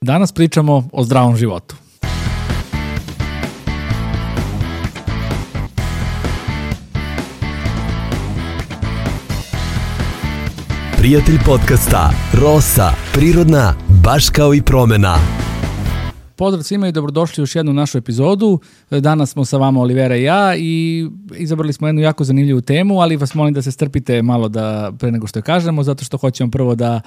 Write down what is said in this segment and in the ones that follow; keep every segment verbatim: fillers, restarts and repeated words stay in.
Danas pričamo o zdravom životu. Prijatelj podcasta Rosa, prirodna, baš kao i promena. Pozdrav svima i dobrodošli u još jednu našu epizodu. Danas smo sa vama Olivera i ja i izabrali smo jednu jako zanimljivu temu, ali vas molim da se strpite malo da pre nego što je kažemo, zato što hoćemo prvo da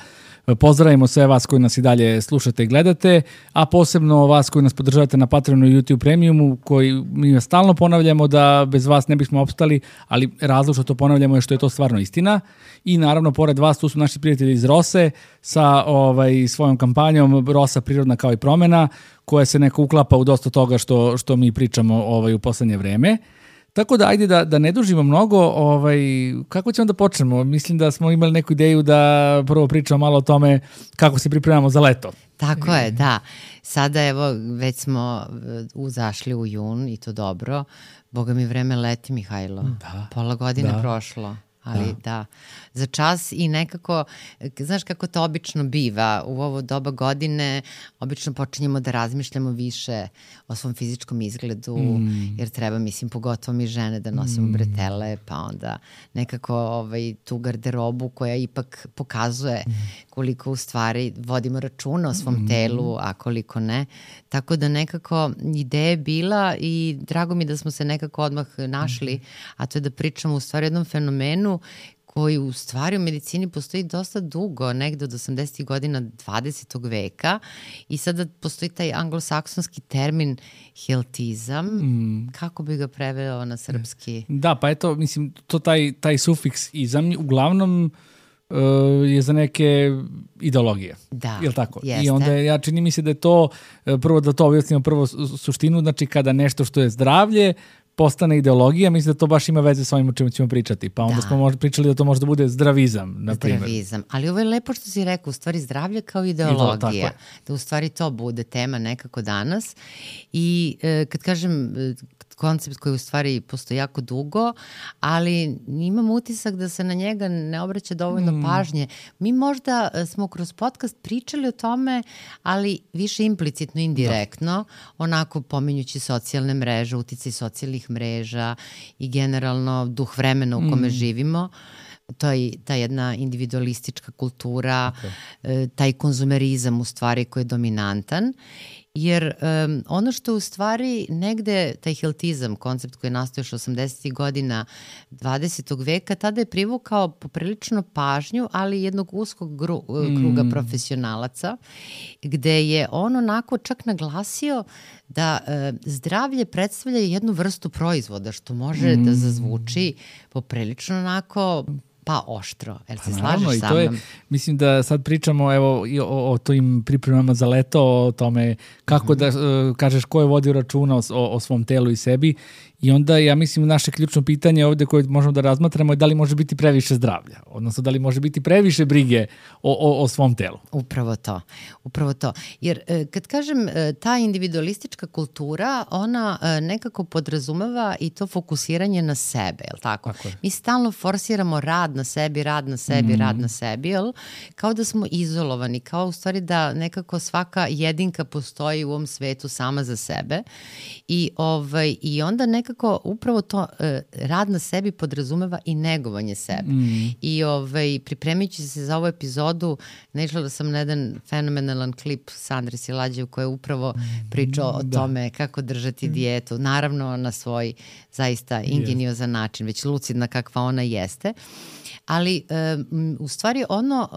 pozdravimo sve vas koji nas i dalje slušate i gledate, a posebno vas koji nas podržavate na Patreonu i YouTube Premiumu, koji mi stalno ponavljamo da bez vas ne bismo opstali, ali razlog što to ponavljamo je što je to stvarno istina. I naravno, pored vas, tu su naši prijatelji iz Rose sa ovaj, svojom kampanjom Rosa, prirodna kao i promena, koja se neko uklapa u dosta toga što, što mi pričamo ovaj, u poslednje vreme. Tako da, ajde da, da ne dužimo mnogo, ovaj, kako ćemo da počnemo? Mislim da smo imali neku ideju da prvo pričamo malo o tome kako se pripremamo za leto. Tako je, da. Sada evo već smo uzašli u jun i to dobro. Boga mi vreme leti, Mihajlo. Da. Pola godine da. prošlo. Ali da. da, za čas i nekako, znaš kako to obično biva, u ovo doba godine obično počinjemo da razmišljamo više o svom fizičkom izgledu, mm. jer treba, mislim, pogotovo mi žene da nosimo mm. bretele, pa onda nekako ovaj, tu garderobu koja ipak pokazuje mm. koliko u stvari vodimo računa o svom mm. telu, a koliko ne. Tako da nekako ideja je bila i drago mi da smo se nekako odmah našli, mm. a to je da pričamo u stvari o jednom fenomenu koji u stvari u medicini postoji dosta dugo, negde od osamdesetih godina dvadesetog veka i sada postoji taj anglosaksonski termin healthizam. Mm. Kako bi ga preveo na srpski? Da, pa eto, mislim, to taj, taj sufiks izam uglavnom uh, je za neke ideologije. Da, jel tako? jeste. I onda ja čini mi se da je to, prvo da to objasnimo prvo suštinu, znači kada nešto što je zdravlje postane ideologija, mislim da to baš ima veze s ovim o čemu ćemo pričati. Pa onda da. smo možda pričali da to može da bude zdravizam, na primjer. Zdravizam. Ali ovo je lepo što si rekao, u stvari zdravlje kao ideologija. Da u stvari to bude tema nekako danas. I e, kad kažem koncept koji u stvari postoji jako dugo, ali imam utisak da se na njega ne obraća dovoljno mm. pažnje. Mi možda smo kroz podcast pričali o tome, ali više implicitno, indirektno, da. onako pominjući socijalne mreže, uticaj socijalnih mreža i generalno duh vremena u kome mm. živimo. To je ta jedna individualistička kultura, okay. taj konzumerizam u stvari koji je dominantan. Jer um, ono što u stvari negde, taj healthizam, koncept koji je nastao još osamdesetih godina dvadesetog veka, tada je privukao poprilično pažnju, ali jednog uskog gru, mm. kruga profesionalaca, gde je on onako čak naglasio da uh, zdravlje predstavlja jednu vrstu proizvoda, što može mm. da zazvuči poprilično onako pa oštro. Jel se pa, slažeš sa mnom? Mislim da sad pričamo evo, o, o tojim pripremama za leto, o tome kako mm-hmm. da uh, kažeš ko je vodio računa o, o svom telu i sebi. I onda ja mislim naše ključno pitanje ovde koje možemo da razmatramo je da li može biti previše zdravlja, odnosno da li može biti previše brige o, o, o svom telu. Upravo to, upravo to. Jer kad kažem ta individualistička kultura, ona nekako podrazumeva i to fokusiranje na sebe, jel tako? tako Mi stalno forsiramo rad na sebi, rad na sebi, mm. rad na sebi, jel? Kao da smo izolovani, kao u stvari da nekako svaka jedinka postoji u ovom svetu sama za sebe i, ovaj, i onda nekako Nekako upravo to uh, rad na sebi podrazumeva i negovanje sebe. Mm. I ovaj, pripremajući se za ovu epizodu, naišla sam na jedan fenomenalan klip Sandre Silađe u kojoj je upravo pričao o da. tome kako držati dijetu. Naravno na svoj zaista ingeniozan način, već lucidna kakva ona jeste. Ali um, u stvari ono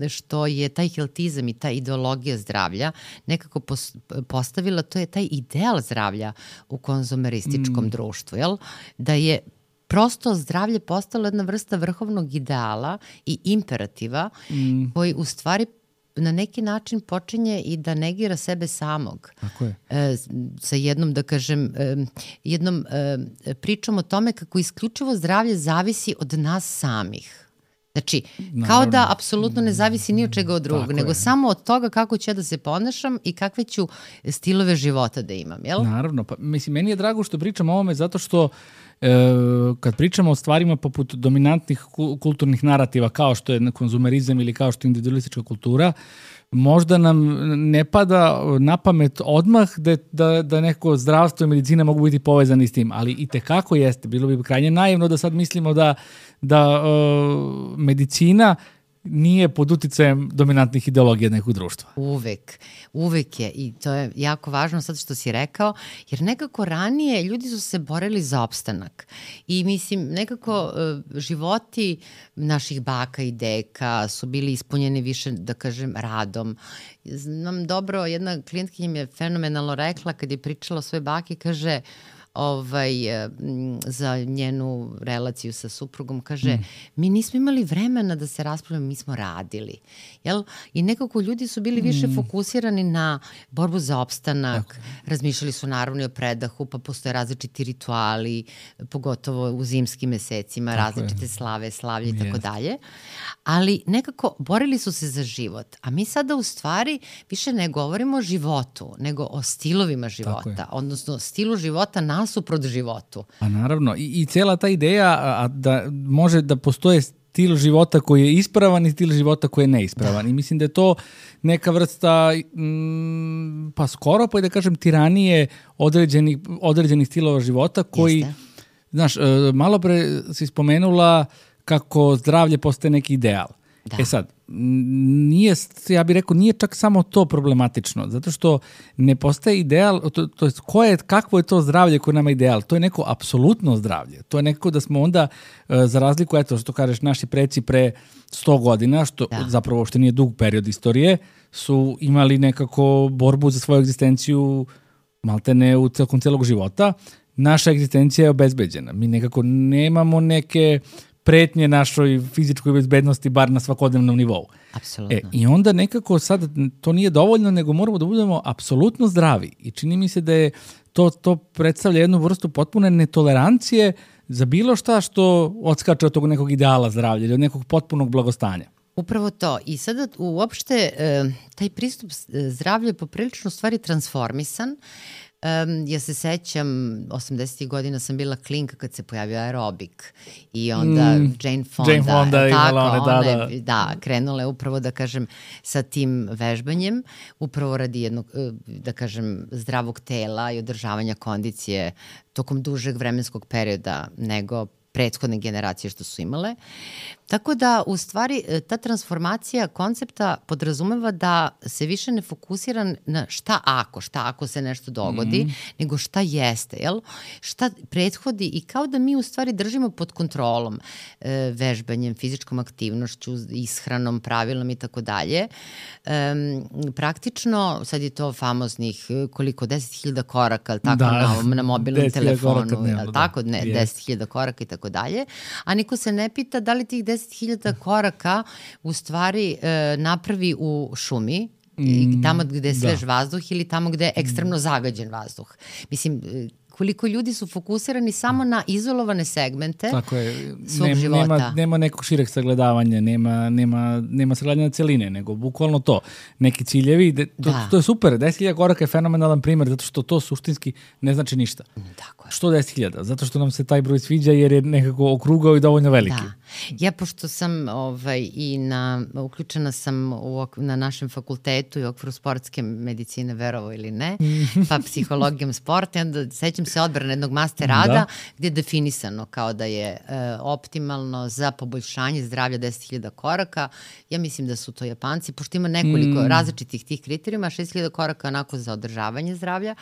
uh, što je taj healthizam i ta ideologija zdravlja nekako pos, postavila, to je taj ideal zdravlja u konzumerističkom mm. društvu, jel? Da je prosto zdravlje postalo jedna vrsta vrhovnog ideala i imperativa mm. koji u stvari na neki način počinje i da negira sebe samog. Tako je. E, sa jednom, da kažem, e, jednom e, pričom o tome kako isključivo zdravlje zavisi od nas samih. Znači, Naravno. kao da apsolutno ne zavisi ni od čega od drugog, Tako nego je. samo od toga kako ću ja da se ponašam i kakve ću stilove života da imam, jel? Naravno, pa mislim, meni je drago što pričam o ovome zato što e, kad pričamo o stvarima poput dominantnih kulturnih narativa kao što je konzumerizam ili kao što je individualistička kultura, možda nam ne pada na pamet odmah da, da, da neko zdravstvo i medicina mogu biti povezani s tim, ali i tekako jeste. Bilo bi krajnje naivno da sad mislimo da, da uh, medicina nije pod uticajem dominantnih ideologija nekog društva. Uvek, uvek je i to je jako važno sad što si rekao, jer nekako ranije ljudi su se borili za opstanak i mislim nekako uh, životi naših baka i deka su bili ispunjeni više, da kažem, radom. Znam dobro, jedna klijentkinja mi je fenomenalno rekla kad je pričala o svojoj baki, kaže ovaj, za njenu relaciju sa suprugom, kaže, mm. mi nismo imali vremena da se raspravljamo, mi smo radili. Jel? I nekako ljudi su bili više mm. fokusirani na borbu za opstanak, okay. razmišljali su naravno i o predahu, pa postoje različiti rituali, pogotovo u zimskim mesecima, tako različite je. slave, slavlje i tako dalje. Ali nekako borili su se za život. A mi sada u stvari više ne govorimo o životu, nego o stilovima života, odnosno stilu života nasuprot životu. Pa naravno. I, i cela ta ideja a, da može da postoje stil života koji je ispravan i stil života koji je neispravan. Da. I mislim da je to neka vrsta mm, pa skoro, pa i da kažem tiranije određenih, određenih stilova života koji, Jeste. znaš, malo pre si spomenula kako zdravlje postaje neki ideal. Da. E sad, nije, ja bih rekao, nije čak samo to problematično, zato što ne postaje ideal, to, to je, ko je, kakvo je to zdravlje koje nama je ideal? To je neko apsolutno zdravlje. To je neko da smo onda, za razliku, eto, što kažeš, naši preci pre sto godina, što da. zapravo što nije dug period istorije, su imali nekako borbu za svoju egzistenciju maltene u celkom celog života. Naša egzistencija je obezbeđena. Mi nekako nemamo neke pretnje našoj fizičkoj bezbednosti, bar na svakodnevnom nivou. Apsolutno. E, I onda nekako sad to nije dovoljno, nego moramo da budemo apsolutno zdravi. I čini mi se da je to, to predstavlja jednu vrstu potpune netolerancije za bilo šta što odskače od tog nekog ideala zdravlja ili od nekog potpunog blagostanja. Upravo to. I sada uopšte taj pristup zdravlju je poprilično stvari transformisan. Um, ja se sećam, osamdesetih godina sam bila klinka kad se pojavio aerobik i onda mm, Jane Fonda, Jane Fonda tako, one, da, one, da. da, krenula je upravo, da kažem, sa tim vežbanjem, upravo radi jednog, da kažem, zdravog tela i održavanja kondicije tokom dužeg vremenskog perioda nego prethodne generacije što su imale. Tako da, u stvari, ta transformacija koncepta podrazumeva da se više ne fokusira na šta ako, šta ako se nešto dogodi, mm. nego šta jeste, jel? Šta prethodi i kao da mi u stvari držimo pod kontrolom e, vežbanjem, fizičkom aktivnošću, ishranom, pravilom i tako dalje. Praktično, sad je to famoznih koliko, deset hiljada koraka, tako, da, na, na mobilnom telefonu, jel, tako, ne, deset hiljada koraka i tako dalje, a niko se ne pita da li tih deset hiljada koraka u stvari e, napravi u šumi, mm, tamo gde je svež da. vazduh ili tamo gde je ekstremno zagađen vazduh. Mislim, koliko ljudi su fokusirani samo na izolovane segmente Tako je. svog Nem, života. Nema, nema nekog šireg sagledavanja, nema, nema, nema sagledanja celine, nego bukvalno to. Neki ciljevi, de, to, da. to je super, deset hiljada koraka je fenomenalan primer, zato što to suštinski ne znači ništa. Tako je. Što deset hiljada? Zato što nam se taj broj sviđa jer je nekako okrugao i dovoljno veliki. Da. Ja, pošto sam ovaj, i na, uključena sam u, na našem fakultetu i u okviru sportske medicine, verovo ili ne, pa psihologijom sporta, onda sećam se odbrane jednog master rada da. gdje je definisano kao da je e, optimalno za poboljšanje zdravlja deset hiljada koraka. Ja mislim da su to Japanci, pošto ima nekoliko mm. različitih tih kriterijuma, šest hiljada koraka onako za održavanje zdravlja,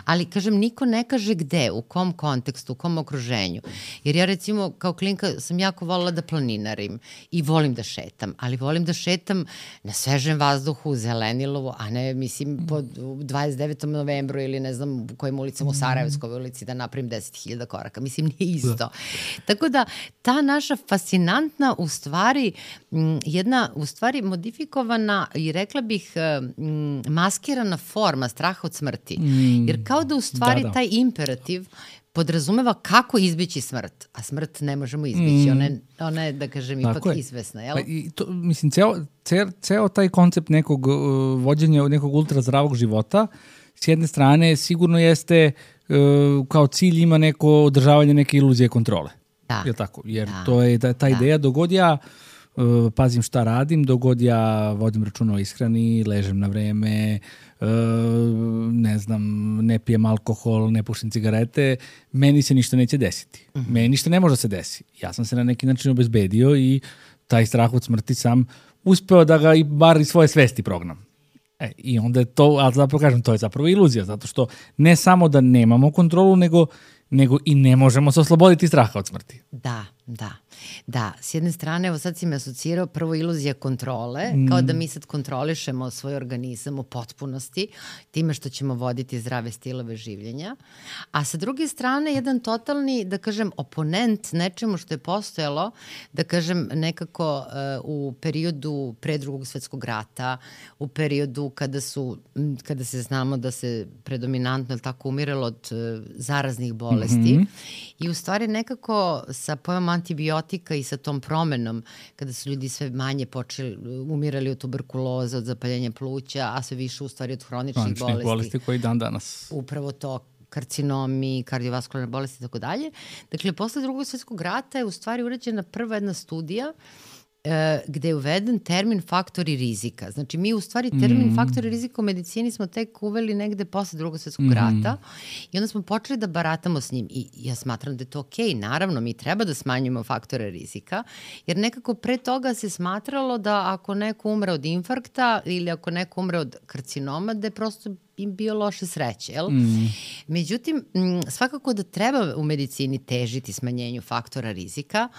ali kažem, niko ne kaže gde, u kom kontekstu, u kom okruženju. Jer ja recimo kao klinka sam jako volila da planinarim i volim da šetam, ali volim da šetam na svežem vazduhu, zelenilovo, a ne, mislim, po dvadeset devetom novembru ili ne znam u kojim ulicama u Sarajevskoj ulici da napravim deset hiljada koraka. Mislim, nije isto. Da. Tako da, ta naša fascinantna, u stvari, jedna, u stvari, modifikovana i rekla bih maskirana forma straha od smrti. Jer kao da u stvari da, da. taj imperativ podrazumeva kako izbići smrt, a smrt ne možemo izbići, mm. ona, je, ona je, da kažem, ipak je. izvesna, jel? Pa i to, mislim, ceo, ceo, ceo taj koncept nekog uh, vođenja, nekog ultrazdravog života, s jedne strane sigurno jeste uh, kao cilj ima neko održavanje neke iluzije kontrole. Da. Je tako? Jer da. to je ta, ta ideja, da. dogod ja uh, pazim šta radim, dok god ja vodim računa o ishrani, ležem na vreme, uh, ne znam, ne pijem alkohol, ne pušim cigarete, meni se ništa neće desiti. Mm-hmm. Meni ništa ne može da se desi. Ja sam se na neki način obezbedio i taj strah od smrti sam uspeo da ga i bar iz svoje svesti prognam. E, I onda je to, ali zapravo kažem, to je zapravo iluzija, zato što ne samo da nemamo kontrolu, nego, nego i ne možemo se osloboditi straha od smrti. Da, da. Da, s jedne strane, evo sad si me asocirao, prvo iluzija kontrole, mm. kao da mi sad kontrolišemo svoj organizam u potpunosti, time što ćemo voditi zdrave stilove življenja, a sa druge strane, jedan totalni, da kažem, oponent nečemu što je postojalo, da kažem, nekako uh, u periodu pre drugog svetskog rata, u periodu kada su, kada se znamo da se predominantno tako umiralo od uh, zaraznih bolesti mm-hmm. i u stvari nekako sa pojmom antibiotika i sa tom promenom, kada su ljudi sve manje počeli, umirali od tuberkuloze, od zapaljenja pluća, a sve više u stvari od hroničnih bolesti. Hroničnih bolesti koji dan danas. Upravo to, karcinomi, kardiovaskularne bolesti i tako dalje. Dakle, posle drugog svetskog rata je u stvari urađena prva jedna studija e, gde je uveden termin faktori rizika. Znači, mi u stvari termin mm. faktori rizika u medicini smo tek uveli negde posle drugog svetskog mm. rata i onda smo počeli da baratamo s njim. I ja smatram da je to okej. Okay. Naravno, mi treba da smanjimo faktore rizika, jer nekako pre toga se smatralo da ako neko umre od infarkta ili ako neko umre od karcinoma, da je prosto im bio loše sreće, jel? Mm. Međutim, svakako da treba u medicini težiti smanjenju faktora rizika,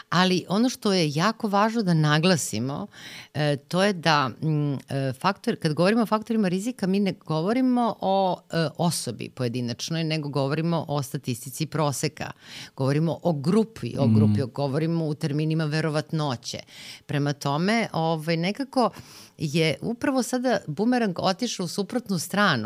ali ono što je jako važno da naglasimo, e, to je da m, faktor, kad govorimo o faktorima rizika, mi ne govorimo o e, osobi pojedinačnoj, nego govorimo o statistici proseka. Govorimo o grupi, o grupi, mm. govorimo u terminima verovatnoće. Prema tome, ovaj, nekako je upravo sada bumerang otišao u suprotnu stranu.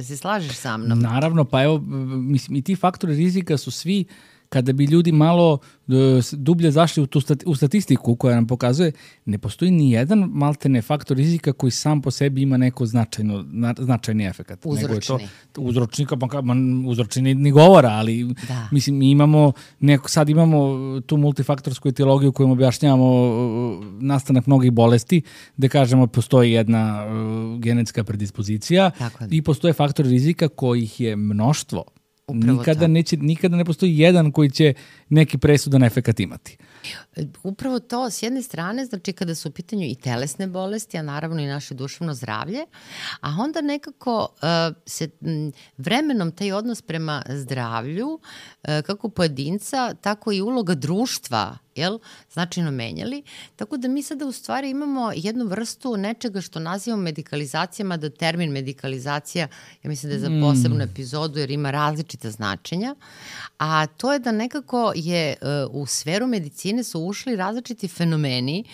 Se slažeš sa mnom? Naravno, pa evo, mislim, i ti faktori rizika su svi, kada bi ljudi malo uh, dublje zašli u, tu stati, u statistiku koja nam pokazuje, ne postoji ni jedan maltene faktor rizika koji sam po sebi ima neko značajno, na, značajni efekat. Uzročni. Nego je to uzročnika, pa man, uzročni ni govora, ali da. Mislim, mi imamo neko, sad imamo tu multifaktorsku etiologiju kojom objašnjavamo uh, nastanak mnogih bolesti, gde kažemo postoji jedna uh, genetska predispozicija i postoje faktori rizika kojih je mnoštvo. Nikada, neće, nikada ne postoji jedan koji će neki presudan efekat imati. Upravo to, s jedne strane, znači kada su u pitanju i telesne bolesti, a naravno i naše duševno zdravlje, a onda nekako uh, se m, vremenom taj odnos prema zdravlju, uh, kako pojedinca, tako i uloga društva, jel, značajno menjali, tako da mi sada u stvari imamo jednu vrstu nečega što nazivamo medikalizacijama, da termin medikalizacija, ja mislim da je za posebnu epizodu jer ima različita značenja, a to je da nekako je uh, u sferu medicine su ušli različiti fenomeni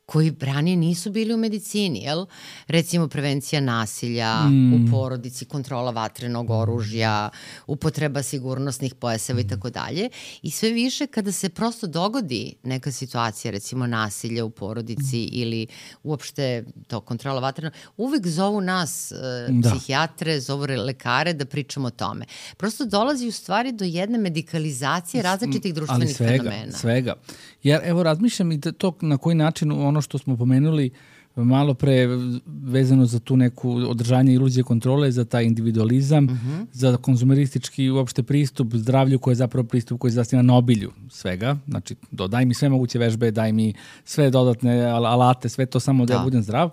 koji ranije nisu bili u medicini, jel? Recimo prevencija nasilja mm. u porodici, kontrola vatrenog oružja, upotreba sigurnosnih pojaseva i tako dalje. I sve više kada se prosto dogodi neka situacija, recimo nasilja u porodici mm. ili uopšte to kontrola vatrenog, uvek zovu nas uh, psihijatre, zovu lekare da pričamo o tome. Prosto dolazi u stvari do jedne medikalizacije različitih društvenih Ali svega, fenomena. svega. Jer evo razmišljam i to na koji način ono što smo pomenuli malo pre vezano za tu neku održanje iluzije kontrole, za taj individualizam, uh-huh. za konzumeristički uopšte pristup zdravlju koji je zapravo pristup koji se zasniva na obilju svega. Znači, do, daj mi sve moguće vežbe, daj mi sve dodatne alate, sve to samo da, da ja budem zdrav.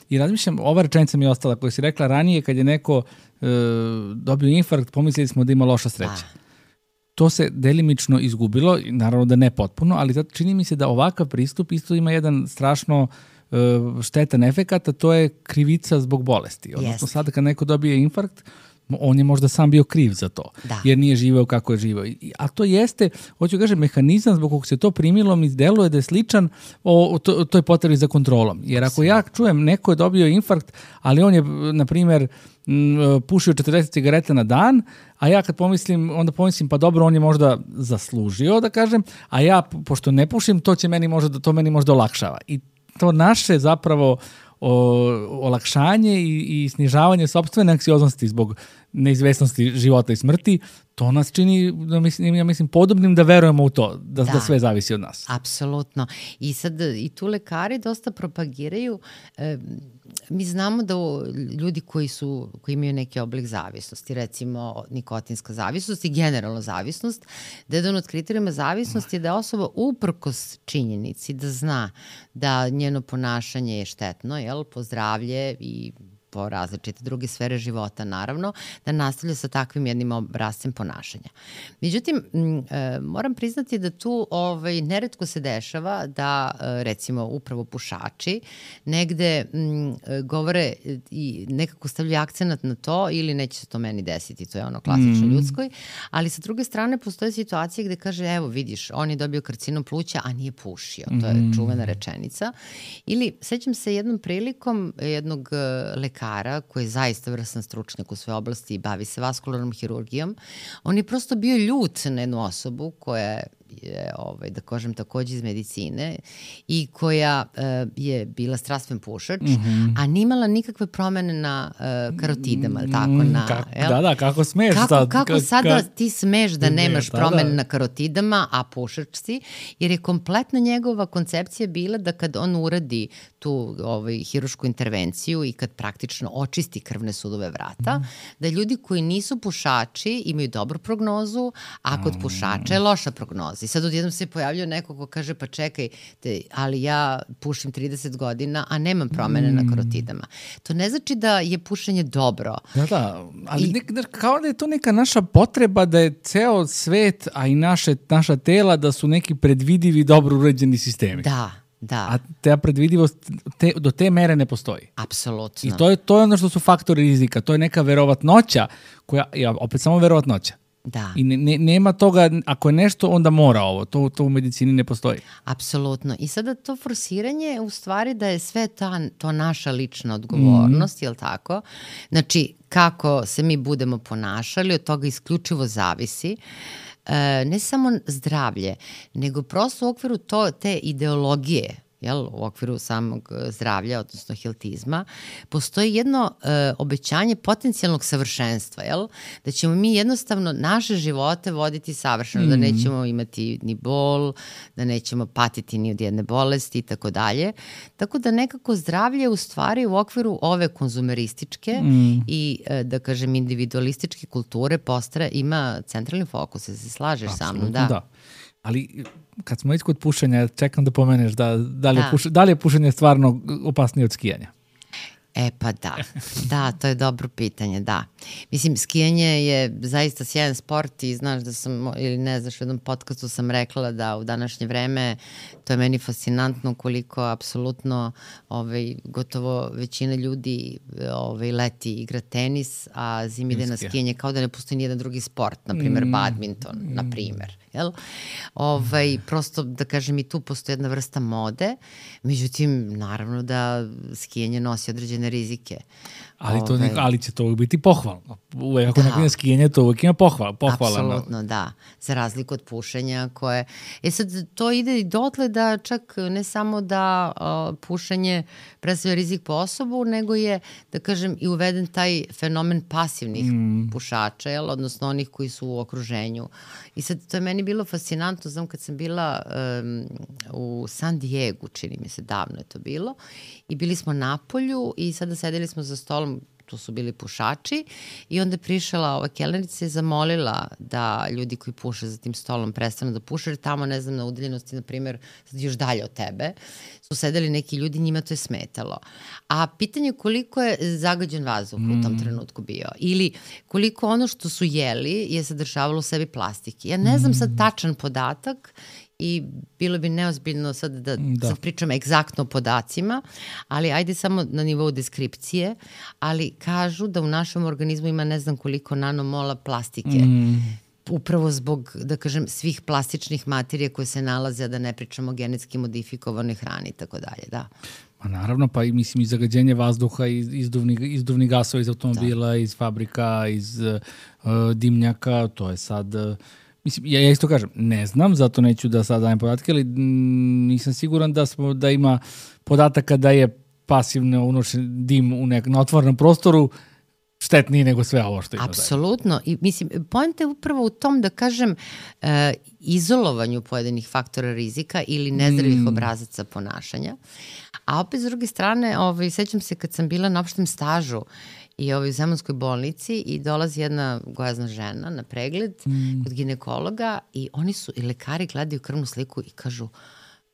I razmišljam, ova rečenica mi je ostala koja si rekla ranije kad je neko e, dobio infarkt, pomislili smo da ima loša sreća. Da. To se delimično izgubilo, naravno da ne potpuno, ali zato čini mi se da ovakav pristup isto ima jedan strašno uh, štetan efekat, a to je krivica zbog bolesti. Odnosno yes. sada kad neko dobije infarkt, on je možda sam bio kriv za to, da. jer nije živeo kako je živeo. A to jeste, hoću kažem, mehanizam zbog kog se to primilo mi deluje da je sličan o, o, to, toj potrebi za kontrolom. Jer ako ja čujem neko je dobio infarkt, ali on je, na primjer, pušio četrdeset cigareta na dan, a ja kad pomislim, onda pomislim pa dobro, on je možda zaslužio, da kažem, a ja, pošto ne pušim, to će meni možda, to meni možda olakšava. I to naše zapravo o, olakšanje i, i snižavanje sopstvene anksioznosti zbog neizvesnosti života i smrti, to nas čini, da mislim, ja mislim, podobnim da verujemo u to, da, da. da sve zavisi od nas. Apsolutno. I sad i tu lekari dosta propagiraju, e, mi znamo da ljudi koji su, koji imaju neki oblik zavisnosti, recimo nikotinska zavisnost i generalno zavisnost, da jedan od kriterijuma zavisnosti je da je osoba uprkos činjenici da zna da njeno ponašanje je štetno, jel, po zdravlje i po različite druge sfere života, naravno, da nastavlja sa takvim jednim obrascem ponašanja. Međutim, e, moram priznati da tu ovaj, neretko se dešava da, e, recimo, upravo pušači negde m, govore i nekako stavljaju akcenat na to ili neće se to meni desiti, to je ono klasično mm. ljudskoj, ali sa druge strane postoje situacije gde kaže, evo vidiš, on je dobio karcinom pluća, a nije pušio. To je mm. čuvena rečenica. Ili, sećam se jednom prilikom jednog lekara koji je zaista vrsan stručnjak u svojoj oblasti i bavi se vaskularnom hirurgijom, on je prosto bio ljut na jednu osobu koja je, ovaj, da kažem, takođe iz medicine i koja uh, je bila strastven pušač, mm-hmm. a nimala nikakve promene na uh, karotidama, mm, tako, na, kako, da, da, kako smeš kako, sad? Kako ka, sada ka, ti smeš da nemaš da, promene da. na karotidama, a pušač si, jer je kompletna njegova koncepcija bila da kad on uradi tu ovaj, hirušku intervenciju i kad praktično očisti krvne sudove vrata, mm. da ljudi koji nisu pušači imaju dobru prognozu, a kod pušača je loša prognoza. I sad odjednom se pojavljaju neko ko kaže, pa čekaj, te, ali ja pušim trideset godina, a nemam promene mm. na karotidama. To ne znači da je pušenje dobro. Da, da, ali I, nek, kao da je to neka naša potreba da je ceo svet, a i naše, naša tela, da su neki predvidivi, dobro uređeni sistemi. Da. Da. A ta predvidivost te, do te mere ne postoji. Apsolutno. I to je, to je ono što su faktori rizika. To je neka verovatnoća, koja, ja, opet samo verovatnoća. Da. I ne, ne, nema toga, ako je nešto, onda mora ovo. To, to u medicini ne postoji. Apsolutno. I sada to forsiranje u stvari da je sve ta, to naša lična odgovornost, mm. je li tako? Znači, kako se mi budemo ponašali, od toga isključivo zavisi. E, ne samo zdravlje, nego prosto u okviru to, te ideologije, jel, u okviru samog zdravlja, odnosno healthizma, postoji jedno e, obećanje potencijalnog savršenstva, jel? Da ćemo mi jednostavno naše živote voditi savršeno, mm. da nećemo imati ni bol, da nećemo patiti ni od jedne bolesti i tako dalje. Tako da nekako zdravlje u stvari u okviru ove konzumerističke mm. i, e, da kažem, individualističke kulture postara, ima centralni fokus, se slažeš sa mnom, da. da. Ali kad smo već kod pušenja, čekam da pomeneš da, da, li je da. Puš, da li je pušenje stvarno opasnije od skijanja? E pa da, da, to je dobro pitanje, da. Mislim, skijanje je zaista sjajan sport i znaš da sam, ili ne znaš, u jednom podcastu sam rekla da u današnje vreme to je meni fascinantno koliko apsolutno ovaj, gotovo većina ljudi ovaj, leti igra tenis, a zimi ide na skijanje, kao da ne postoji nijedan drugi sport, na primjer mm. badminton, mm. na primjer. Jel? Ovaj, prosto, da kažem, i tu postoji jedna vrsta mode, međutim, naravno da skijanje nosi određene rizike. Ali, to, Ove, ali će to uvijek biti pohvalno. Uvijek ako da. neko ima skijanje, to uvijek ima pohval, pohvalno. Apsolutno, da. Za razliku od pušenja koje... E sad, to ide i dotle da čak ne samo da uh, pušenje predstavlja rizik po osobu, nego je, da kažem, i uveden taj fenomen pasivnih mm. pušača, jel? Odnosno onih koji su u okruženju. I sad, to je meni bilo fascinantno, znam kad sam bila um, u San Diegu, čini mi se, davno je to bilo, i bili smo na polju i sada sedeli smo za stolom, tu su bili pušači, i onda je prišla ova kelnerica i zamolila da ljudi koji puše za tim stolom prestanu da puše, jer tamo, ne znam, na udaljenosti, na primjer, sad još dalje od tebe, su sedeli neki ljudi, njima to je smetalo. A pitanje koliko je zagađen vazduh mm. u tom trenutku bio, ili koliko ono što su jeli je sadržavalo u sebi plastike. Ja ne znam sad tačan podatak, i bilo bi neozbiljno sad da, da. sad pričam egzaktno o podacima, ali ajde samo na nivou deskripcije, ali kažu da u našem organizmu ima ne znam koliko nanomola plastike. Mm. Upravo zbog, da kažem, svih plastičnih materija koje se nalaze, a da ne pričamo o genetski modifikovanoj hrani i tako dalje, da. Ma naravno, pa i mislim i zagađenje vazduha, iz, izduvni, izduvni gasova iz automobila, da. iz fabrika, iz uh, dimnjaka, to je sad... Uh, Mislim, ja, ja isto kažem, ne znam, zato neću da sad dajem podatke, ali m, nisam siguran da smo da ima podataka da je pasivno unošen dim u nek, na otvorenom prostoru štetniji nego sve ovo što ima. Apsolutno. I mislim, poenta je upravo u tom da kažem e, izolovanju pojedinih faktora rizika ili nezdravih mm. obrazaca ponašanja. A opet s druge strane, ovaj, sećam se kad sam bila na opštem stažu i ovaj, u Zemunskoj bolnici i dolazi jedna gojazna žena na pregled mm. kod ginekologa i oni su, i lekari gledaju krvnu sliku i kažu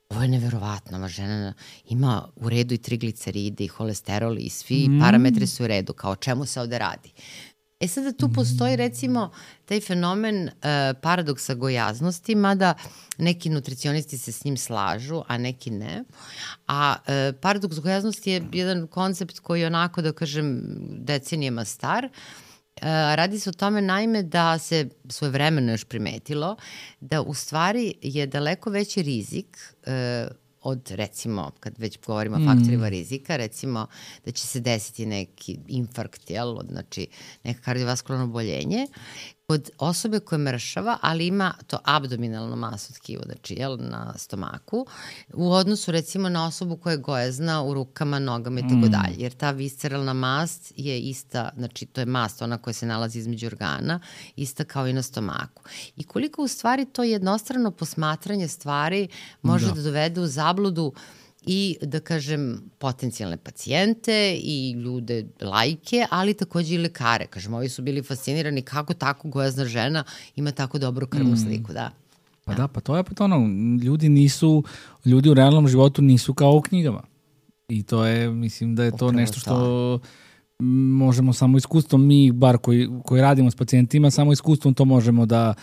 ovo je neverovatno, ova žena ima u redu i trigliceride i holesterol i svi mm. parametri su u redu, kao o čemu se ovde radi. E sada tu postoji recimo taj fenomen uh, paradoksa gojaznosti, mada neki nutricionisti se s njim slažu, a neki ne. A uh, paradoks gojaznosti je jedan koncept koji je onako, da kažem, decenijama star. Uh, radi se o tome naime da se svojevremeno još primetilo da u stvari je daleko veći rizik uh, od, recimo, kad već govorimo o faktorima mm. rizika, recimo da će se desiti neki infarkt, jel, znači neka kardiovaskularno oboljenje, kod osobe koja mršava, ali ima to abdominalno masno tkivo, znači, jel, na stomaku, u odnosu, recimo, na osobu koja je gojazna u rukama, nogama i tako dalje. Jer ta visceralna mast je ista, znači, to je mast, ona koja se nalazi između organa, ista kao i na stomaku. I koliko, u stvari, to jednostrano posmatranje stvari može da, da dovede u zabludu i, da kažem, potencijalne pacijente i ljude, lajke, ali takođe i lekare. Kažem, ovi su bili fascinirani kako tako gojazna žena ima tako dobru krvnu sliku, da. Pa da, pa to je pa to ono, ljudi nisu, ljudi u realnom životu nisu kao u knjigama. I to je, mislim da je to Upravo nešto što to. možemo samo iskustvom, mi bar koji, koji radimo s pacijentima, samo iskustvom to možemo da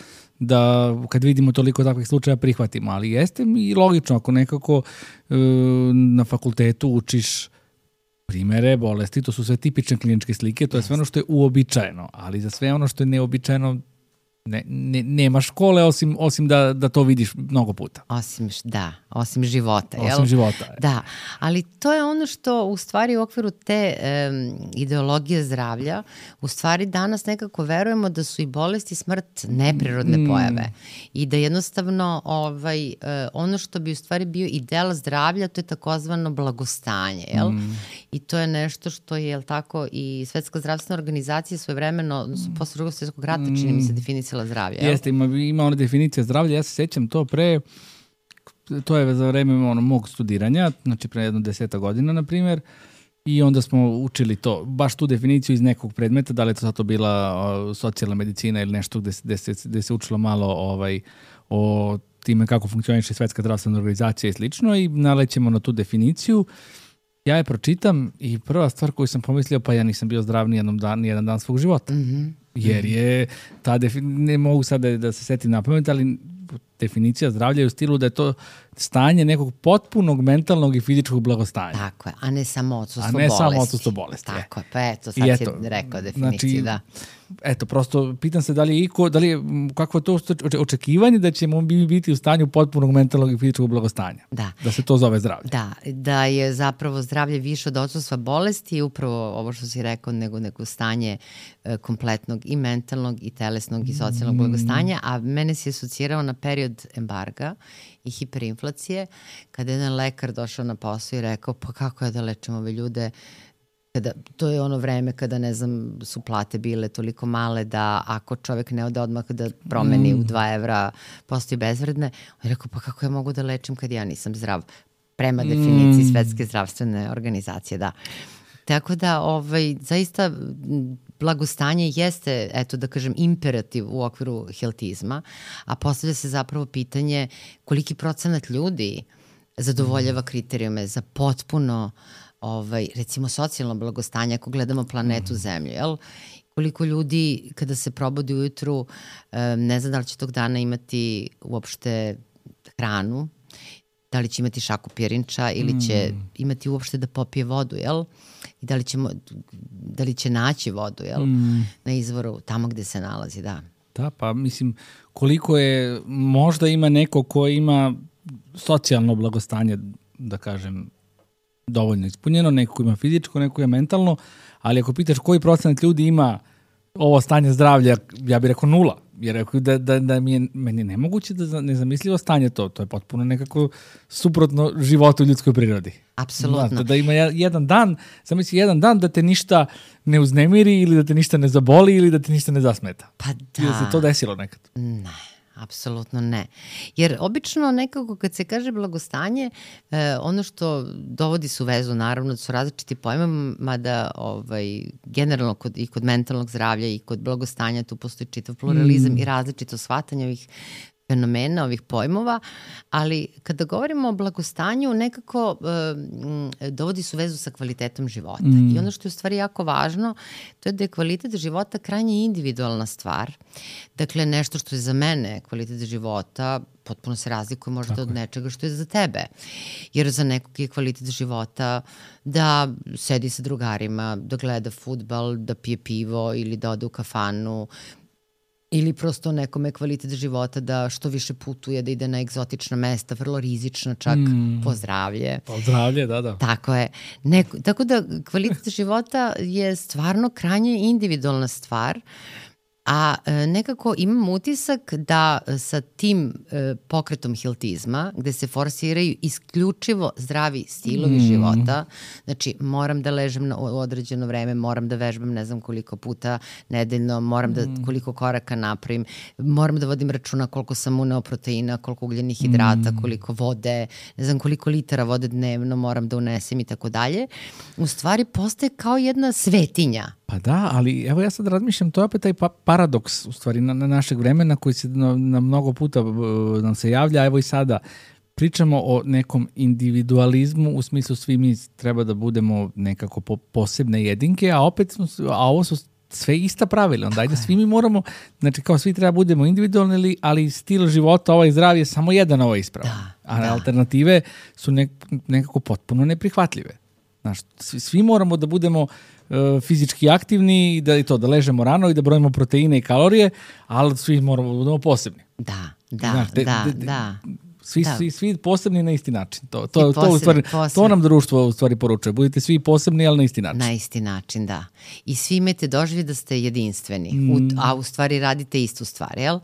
da kad vidimo toliko takvih slučaja prihvatimo, ali jeste i logično ako nekako e, na fakultetu učiš primere bolesti, to su sve tipične kliničke slike, to je sve ono što je uobičajeno, ali za sve ono što je neobičajeno ne, ne, nema škole osim, osim da, da to vidiš mnogo puta. Osim, da, osim života. Osim jel? života. Da, ali to je ono što u stvari u okviru te um, ideologije zdravlja, u stvari danas nekako verujemo da su i bolesti i smrt neprirodne mm. pojave i da jednostavno ovaj, uh, ono što bi u stvari bio ideal zdravlja, to je takozvano blagostanje, jel? Mm. I to je nešto što je, jel tako, i Svetska zdravstvena organizacija svojevremeno, mm. posle drugog svjetskog rata, mm. čini mi se definisala zdravlje. Jel? Jeste, ima, ima ona definicija zdravlja, ja se sećam to pre, to je za vreme ono, mog studiranja, znači pre jedno deseta godina, na primjer, i onda smo učili to, baš tu definiciju iz nekog predmeta, da li je to sad to bila o, socijalna medicina ili nešto gde, gde, se, gde se učilo malo ovaj, o time kako funkcioniše Svetska zdravstvena organizacija i slično i nalećemo na tu definiciju. Ja je pročitam i prva stvar koju sam pomislio, pa ja nisam bio zdrav nijednom dan, nijedan dan svog života. Mm-hmm. Jer je ta definicija, ne mogu sad da, da se setim na pamet, ali definicija zdravlja je u stilu da je to stanje nekog potpunog mentalnog i fizičkog blagostanja. Tako je, a ne samo odsustvo bolesti. A ne bolesti. samo odsustvo bolesti. Tako je, pa eto, sad eto, si rekao definiciju, znači, da. Eto, prosto pitam se da li je iko, da li je, kako je to očekivanje da ćemo biti u stanju potpunog mentalnog i fizičkog blagostanja. Da. Da se to zove zdravlje. Da, da je zapravo zdravlje više od odsustva bolesti i upravo ovo što si rekao, nego neko stanje e, kompletnog i mentalnog i telesnog i socijalnog mm. blagostanja, a mene si asocirao na period embarga i hiperinflacije, kada je jedan lekar došao na posao i rekao, pa kako je da lečimo ove ljude, kada, to je ono vreme kada, ne znam, su plate bile toliko male da ako čovek ne ode odmah da promeni mm. u dva evra, postoji bezvredne. On je rekao, pa kako ja mogu da lečim kad ja nisam zdrav? Prema definiciji mm. Svetske zdravstvene organizacije, da. Tako da, ovaj, zaista blagostanje jeste, eto da kažem, imperativ u okviru healthizma, a postavlja se zapravo pitanje koliki procenat ljudi zadovoljava kriterijume za potpuno, ovaj, recimo, socijalno blagostanje, ako gledamo planetu Zemlju, jel? Koliko ljudi kada se probudi ujutru ne zna da li će tog dana imati uopšte hranu, da li će imati šaku pirinča ili će imati uopšte da popije vodu, jel? I da li, ćemo, da li će naći vodu, jel? Mm. Na izvoru, tamo gde se nalazi, da. Da, pa mislim, koliko je, možda ima neko ko ima socijalno blagostanje, da kažem, dovoljno ispunjeno, neko ko ima fizičko, neko ko je mentalno, ali ako pitaš koji procenat ljudi ima ovo stanje zdravlja, ja bih rekao nula. Jer rekao da, da, da mi je, meni je nemoguće da nezamislivo stanje to. To je potpuno nekako suprotno životu u ljudskoj prirodi. Apsolutno. Da, da ima jedan dan, zamisli jedan dan da te ništa ne uznemiri ili da te ništa ne zaboli ili da te ništa ne zasmeta. Pa da. Ili se to desilo nekad? Ne. Apsolutno ne. Jer obično nekako kad se kaže blagostanje, eh, ono što dovodi su vezu, naravno, da su različiti pojma, mada ovaj, generalno kod, i kod mentalnog zdravlja i kod blagostanja tu postoji čitav pluralizam mm. i različito shvatanje ovih fenomena, ovih pojmova, ali kada govorimo o blagostanju, nekako e, dovodi su vezu sa kvalitetom života. Mm. I ono što je u stvari jako važno, to je da je kvalitet života krajnje individualna stvar. Dakle, nešto što je za mene kvalitet života potpuno se razlikuje možda Tako od nečega što je za tebe. Jer za nekog je kvalitet života da sedi sa drugarima, da gleda fudbal, da pije pivo ili da ode u kafanu, ili prosto nekome kvalitet života da što više putuje, da ide na egzotična mesta, vrlo rizična čak mm. po zdravlje. Po zdravlje, da, da. Tako je. Neko, tako da kvalitet života je stvarno krajnje individualna stvar, a e, nekako imam utisak da sa tim e, pokretom hiltizma, gde se forsiraju isključivo zdravi stilovi mm. života, znači moram da ležem na određeno vreme, moram da vežbam ne znam koliko puta nedeljno, moram da mm. koliko koraka napravim, moram da vodim računa koliko sam uneo proteina, koliko ugljenih hidrata, mm. koliko vode, ne znam koliko litara vode dnevno moram da unesem i tako dalje. U stvari postaje kao jedna svetinja. Pa da, ali evo ja sad razmišljam, to je opet taj pa paradoks u stvari na, na našeg vremena koji se na, na mnogo puta uh, nam se javlja, evo i sada pričamo o nekom individualizmu u smislu svi mi treba da budemo nekako po, posebne jedinke, a opet smo, a ovo su sve ista pravila, onda ajde svi mi moramo, znači kao svi treba budemo individualni, ali stil života ovaj zdrav je samo jedan ovaj ispravan, da, a da. alternative su nek, nekako potpuno neprihvatljive. Znaš, svi, svi moramo da budemo fizički aktivni i da i to da ležemo rano i da brojimo proteine i kalorije, ali svi moramo da budemo posebni. Da, da, Znaš, de, da, de, de, da. Svi, da. svi, svi posebni na isti način. To, to, posebni, to, u stvari, posebni. to nam društvo u stvari poručuje. Budite svi posebni, ali na isti način. Na isti način, da. I svi imate doživlje da ste jedinstveni, mm. u, a u stvari radite istu stvar, jel?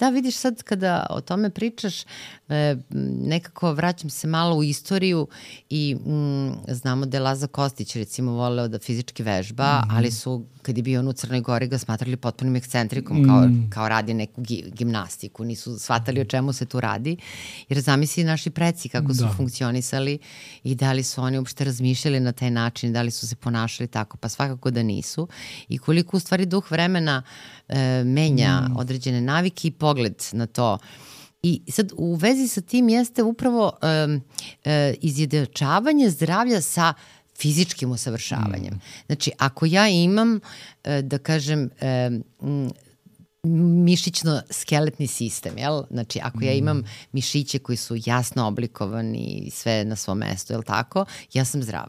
Da, vidiš sad kada o tome pričaš, e, nekako vraćam se malo u istoriju i mm, znamo da je Laza Kostić recimo voleo da fizički vežba, mm. ali su kad je bio on u Crnoj Gori ga smatrali potpunim ekscentrikom, mm. kao, kao radi neku gimnastiku, nisu shvatali o čemu se tu radi, jer zamisli naši preci kako su da. funkcionisali i da li su oni uopšte razmišljali na taj način, da li su se ponašali tako, pa svakako da nisu. I koliko u stvari duh vremena e, menja mm. određene navike i pogled na to. I sad u vezi sa tim jeste upravo e, e, izjednačavanje zdravlja sa fizičkim usavršavanjem. Mm. Znači, ako ja imam, e, da kažem, e, m, mišićno-skeletni sistem, jel? Znači, ako ja imam mišiće koji su jasno oblikovani i sve na svom mestu, jel tako? Ja sam zdrav.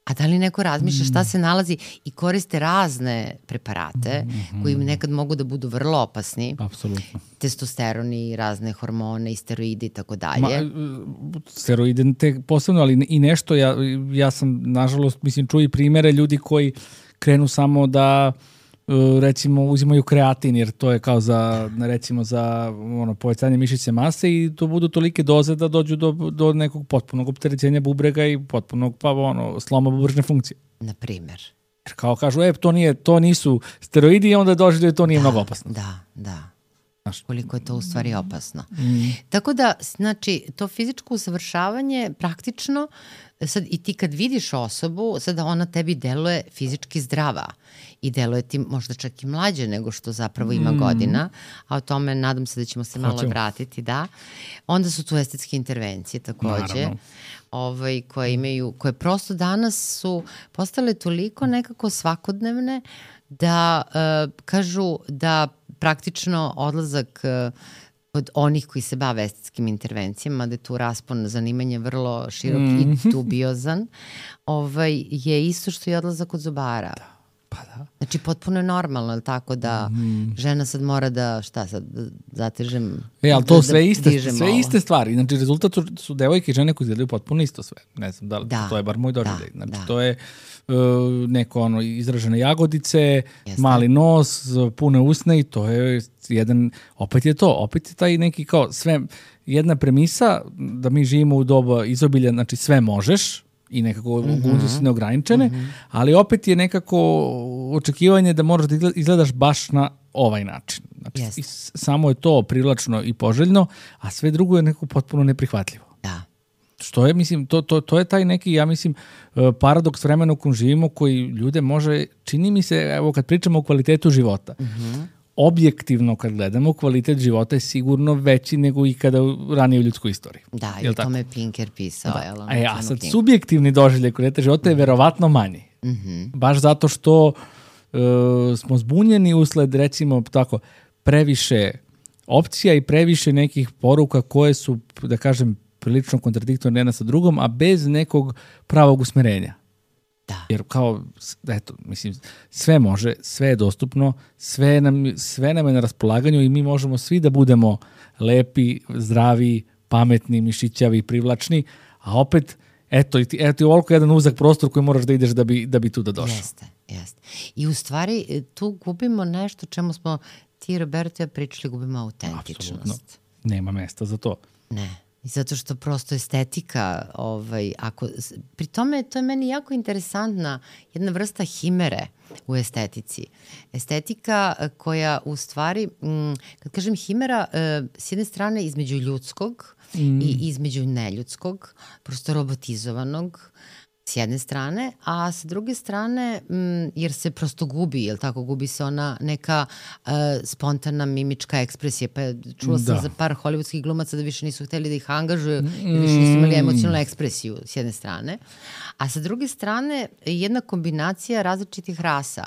A da li neko razmišlja šta se nalazi i koriste razne preparate mm-hmm. koji nekad mogu da budu vrlo opasni. Apsolutno. Testosteroni, razne hormone i steroidi i tako dalje. Ma, steroide te posebno, ali i nešto, ja, ja sam nažalost, mislim, čuo i primere ljudi koji krenu samo da recimo uzimaju kreatin jer to je kao za recimo za ono povećanje mišićne mase i to budu tolike doze da dođu do, do nekog potpunog opterećenja bubrega i potpunog pa ono sloma bubrežne funkcije. Na primjer. Jer kao kažu, e, to nije to nisu steroidi i onda dođe da to nije da, mnogo opasno. Da, da. Znaš, koliko je to u stvari opasno. Mm. Tako da, znači, to fizičko usavršavanje praktično, sad i ti kad vidiš osobu, sada ona tebi deluje fizički zdrava i deluje ti možda čak i mlađe nego što zapravo ima mm. godina, a o tome nadam se da ćemo se malo Hoćemo. vratiti, da. Onda su tu estetske intervencije takođe, ovaj, koje imaju, koje prosto danas su postale toliko nekako svakodnevne da uh, kažu da praktično odlazak uh, od onih koji se bave estetskim intervencijama, da je tu raspon zanimanja vrlo širok mm. i dubiozan, ovaj, je isto što i odlazak od zubara. Da. Pa da. Znači, potpuno je normalno, tako da mm. žena sad mora da, šta sad, da zatežem, e, ali to da, sve, da iste, sve iste stvari. Znači, rezultat su, su devojke i žene koji izgledaju potpuno isto sve. Ne znam, da li, da, to je bar moj doživljaj. Znači, da. to je uh, neko ono, izražene jagodice, Jeste. mali nos, pune usne i to je jedan, opet je to, opet je taj neki kao sve, jedna premisa da mi živimo u doba izobilja, znači sve možeš, i nekako mm-hmm. su neograničene, mm-hmm. ali opet je nekako očekivanje da moraš da izgledaš baš na ovaj način. Znači, yes. samo je to privlačno i poželjno, a sve drugo je nekako potpuno neprihvatljivo. Da. Što je, mislim, to, to, to je taj neki, ja mislim, paradoks vremena u kojem živimo, koji ljude može, čini mi se, evo kad pričamo o kvalitetu života, mm-hmm. objektivno kad gledamo, kvalitet života je sigurno veći nego ikada ranije u ljudskoj istoriji. Da, i o tome je Pinker pisao. Da. Jel, e, a sad, subjektivni doživljaj kvaliteta života je verovatno manji. Mm-hmm. Baš zato što uh, smo zbunjeni usled, recimo, tako, previše opcija i previše nekih poruka koje su, da kažem, prilično kontradiktorne jedna sa drugom, a bez nekog pravog usmerenja. Da. Jer kao, eto, mislim, sve može, sve je dostupno, sve nam, sve nam je na raspolaganju i mi možemo svi da budemo lepi, zdravi, pametni, mišićavi, privlačni, a opet, eto, i ti, eto, i ovoliko jedan uzak prostor koji moraš da ideš da bi, da bi tu da došao. Jeste, jeste. I u stvari tu gubimo nešto čemu smo ti, Roberto, ja pričali, gubimo autentičnost. Apsolutno. Nema mesta za to. Ne. I zato što prosto estetika, ovaj, ako, pri tome to je meni jako interesantna jedna vrsta himere u estetici. Estetika koja u stvari, m, kad kažem himera, e, s jedne strane između ljudskog mm. i između neljudskog, prosto robotizovanog, s jedne strane, a sa druge strane, m, jer se prosto gubi, jel tako, gubi se ona neka uh, spontana mimička ekspresija, pa čula sam da. za par hollywoodskih glumaca da više nisu hteli da ih angažuju, mm. da više nisu imali emocionalnu ekspresiju s jedne strane, a sa druge strane jedna kombinacija različitih rasa.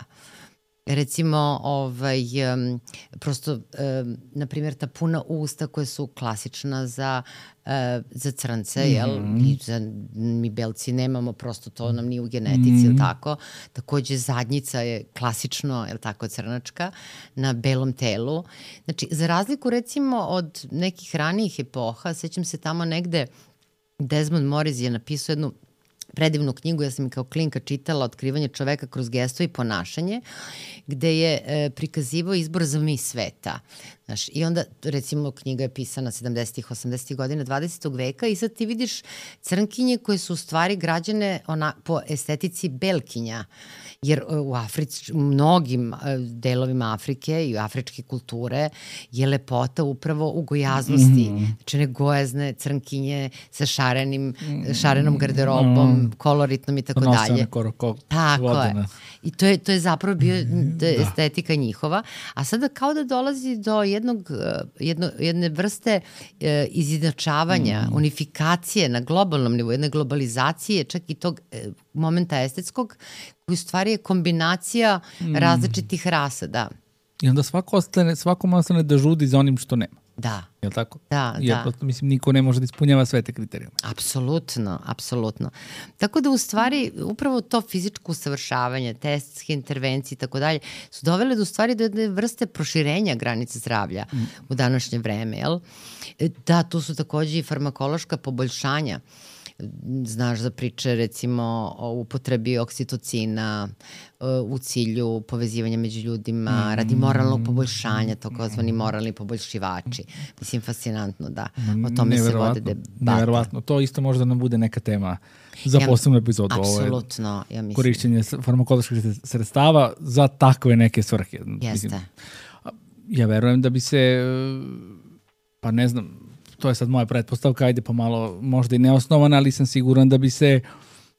Recimo, ovaj, um, prosto, um, na primjer, ta puna usta koja su klasična za, uh, za crnce, mm-hmm. jel? I za, mi belci nemamo, prosto to nam nije u genetici, mm-hmm. jel tako? Takođe, zadnjica je klasično, jel tako, crnačka, na belom telu. Znači, za razliku, recimo, od nekih ranijih epoha, sećam se tamo negde, Desmond Morris je napisao jednu predivnu knjigu, ja sam kao klinka čitala Otkrivanje čoveka kroz gesto i ponašanje, gde je e, prikazivao izbor za mis sveta. Znaš, i onda, recimo, knjiga je pisana sedamdesetih, osamdesetih godina dvadesetog veka i sad ti vidiš crnkinje koje su u stvari građane ona, po estetici belkinja. Jer u Africi, u mnogim delovima Afrike i afričke kulture je lepota upravo u gojaznosti. Mm-hmm. Znači ne gojazne crnkinje sa šarenim, šarenom garderobom, mm-hmm. koloritnom i tako dalje. Nosane koroko. Tako vodene. je. I to je, to je zapravo bio da. estetika njihova. A sada kao da dolazi do jednog, jedno, jedne vrste e, izjednačavanja, mm. unifikacije na globalnom nivou, jedne globalizacije, čak i tog e, momenta estetskog, koji u stvari je kombinacija mm. različitih rasa, da. I onda svako ostane, svakom ostane da žudi za onim što nema. Da. Je li tako? Da, Jer da. Prosto, mislim, niko ne može da ispunjava sve te kriterijume. Apsolutno, apsolutno. Tako da u stvari upravo to fizičko usavršavanje, te estetske intervencije i tako dalje su dovele do stvari do jedne vrste proširenja granice zdravlja mm. u današnje vreme, jel? Da, tu su takođe i farmakološka poboljšanja. Znaš za priče recimo o upotrebi oksitocina u cilju povezivanja među ljudima, mm. radi moralnog poboljšanja, takozvani moralni poboljšivači. Mislim, fascinantno da o tome se vode debate. Neverovatno. To isto možda nam bude neka tema za ja, posebnu epizodu. Apsolutno, ja mislim. Korišćenje farmakoloških sredstava za takve neke svrhe. Jeste. Mislim, ja verujem da bi se, pa ne znam, to je sad moja pretpostavka, ajde pa malo možda i neosnovana, ali sam siguran da bi se,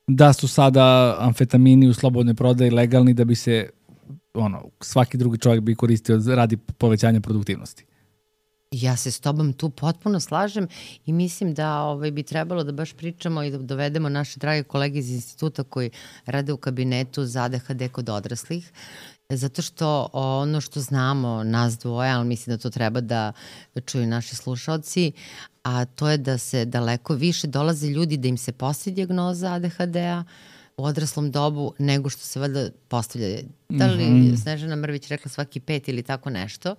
da su sada amfetamini u slobodnoj prodaji legalni, da bi se, ono, svaki drugi čovjek bi koristio radi povećanja produktivnosti. Ja se s tobom tu potpuno slažem i mislim da ovaj, bi trebalo da baš pričamo i da dovedemo naše drage kolege iz instituta koji rade u kabinetu za A D H D kod odraslih, zato što ono što znamo nas dvoje, ali mislim da to treba da čuju naši slušalci, a to je da se daleko više dolaze ljudi da im se postavi dijagnoza A D H D-a, u odraslom dobu nego što se valjda postavlja. Da li Mhm. Snežana Mrvić rekla svaki pet ili tako nešto,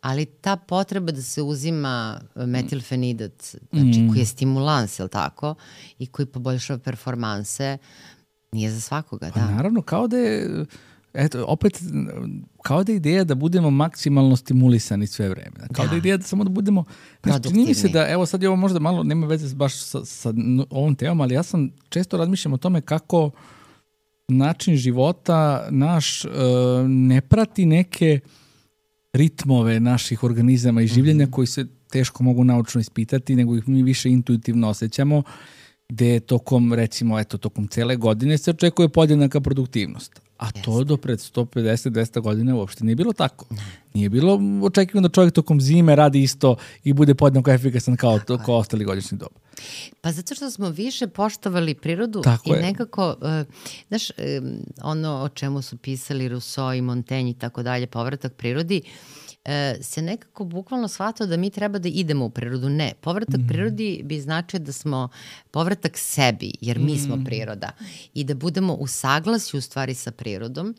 ali ta potreba da se uzima metilfenidat, znači Mm. koji je stimulans, je li tako, i koji poboljšava performanse, nije za svakoga, Pa da. naravno, kao da je, eto, opet, kao da je ideja da budemo maksimalno stimulisani sve vreme. Kao da, Da. je ideja da samo da budemo, znaš, čini mi se Produktivni. da, evo sad je ovo možda malo, nema veze baš sa, sa n- ovom temom, ali ja sam često razmišljam o tome kako način života naš e, ne prati neke ritmove naših organizama i življenja koji se teško mogu naučno ispitati, nego ih mi više intuitivno osjećamo, gde tokom, recimo, eto, tokom cele godine se očekuje podjednaka produktivnost. A to Jeste. do pred sto pedeset do dvesta godina uopšte nije bilo tako. Nije bilo očekivano da čovjek tokom zime radi isto i bude podjednako efikasan kao, to, kao ostali godišnji doba. Pa zato što smo više poštovali prirodu Tako i je. nekako, uh, znaš, um, ono o čemu su pisali Rousseau i Montaigne i tako dalje, povratak prirodi, uh, se nekako bukvalno shvatao da mi treba da idemo u prirodu. Ne, povratak Mhm. prirodi bi značio da smo povratak sebi, jer mi Mhm. smo priroda i da budemo u saglasju u stvari sa prirodom,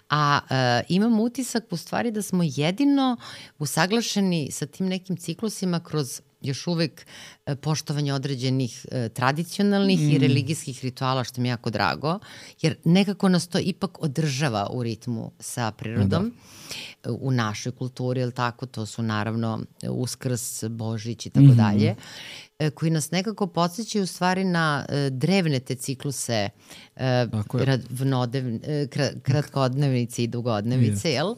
a uh, imam utisak u stvari da smo jedino usaglašeni sa tim nekim ciklusima kroz još uvek e, poštovanje određenih e, tradicionalnih Mm. i religijskih rituala, što mi je jako drago, jer nekako nas to ipak održava u ritmu sa prirodom. E, U našoj kulturi, jel tako, to su naravno e, Uskrs, Božić i tako Mhm. dalje, e, koji nas nekako podsjećaju u stvari na e, drevne te cikluse e, Tako je. radvnodev- e, kra- kratkodnevnice i dugodnevice, jel?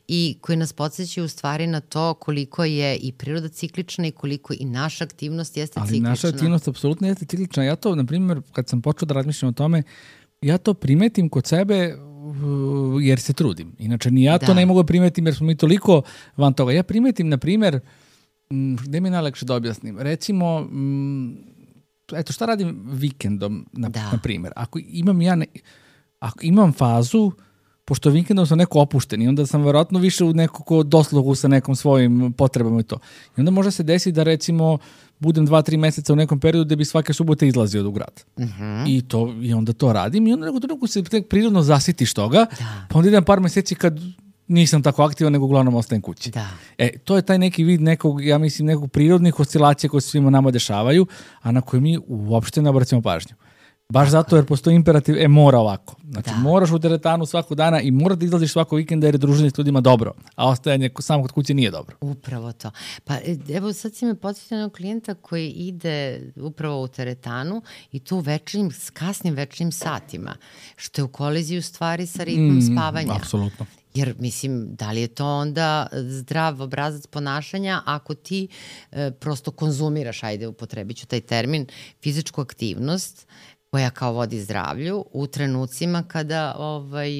I koji nas podsjećaju u stvari na to koliko je i priroda ciklična i koliko i naša aktivnost jeste Ali ciklična. naša aktivnost apsolutno jeste ciklična. Ja to, na primjer, kad sam počeo da razmišljam o tome, ja to primetim kod sebe uh, jer se trudim. Inače, ni ja to Da. ne mogu da primetim jer smo mi toliko van toga. Ja primetim, na primjer, m, gde mi je najlakše da objasnim? Recimo, m, eto, šta radim vikendom, na, Da. na primjer? Ako imam ja, ne, ako imam fazu, pošto vikendom sam neko opušten i onda sam verovatno više u nekako dosluhu sa nekom svojim potrebama i to. I onda može se desiti da recimo budem dva, tri meseca u nekom periodu gde bi svake subote izlazio u grad. Mhm. I, to, I onda to radim i onda nekako trenutku se tek prirodno zasitiš toga, Da. pa onda idem par meseci kad nisam tako aktivan, nego uglavnom ostajem kući. Da. E, to je taj neki vid nekog, ja mislim, nekog prirodnih oscilacija koje se svima nama dešavaju, a na koje mi uopšte ne obracimo pažnju. Baš zato jer postoji imperativ, e, mora ovako. Znači, Da. moraš u teretanu svakog dana i mora da izlaziš svakog vikenda jer je druženje s ljudima dobro, a ostajanje ko- samo kod kuće nije dobro. Upravo to. Pa e, evo sad si me podsjetio na jednog klijenta koji ide upravo u teretanu i to u večernjim, s kasnim večernjim satima, što je u koliziji u stvari sa ritmom Mm, spavanja. Apsolutno. Jer, mislim, da li je to onda zdrav obrazac ponašanja ako ti e, prosto konzumiraš, ajde, upotrebit ću taj termin, fizičku aktivnost koja kao vodi zdravlju u trenucima kada ovaj,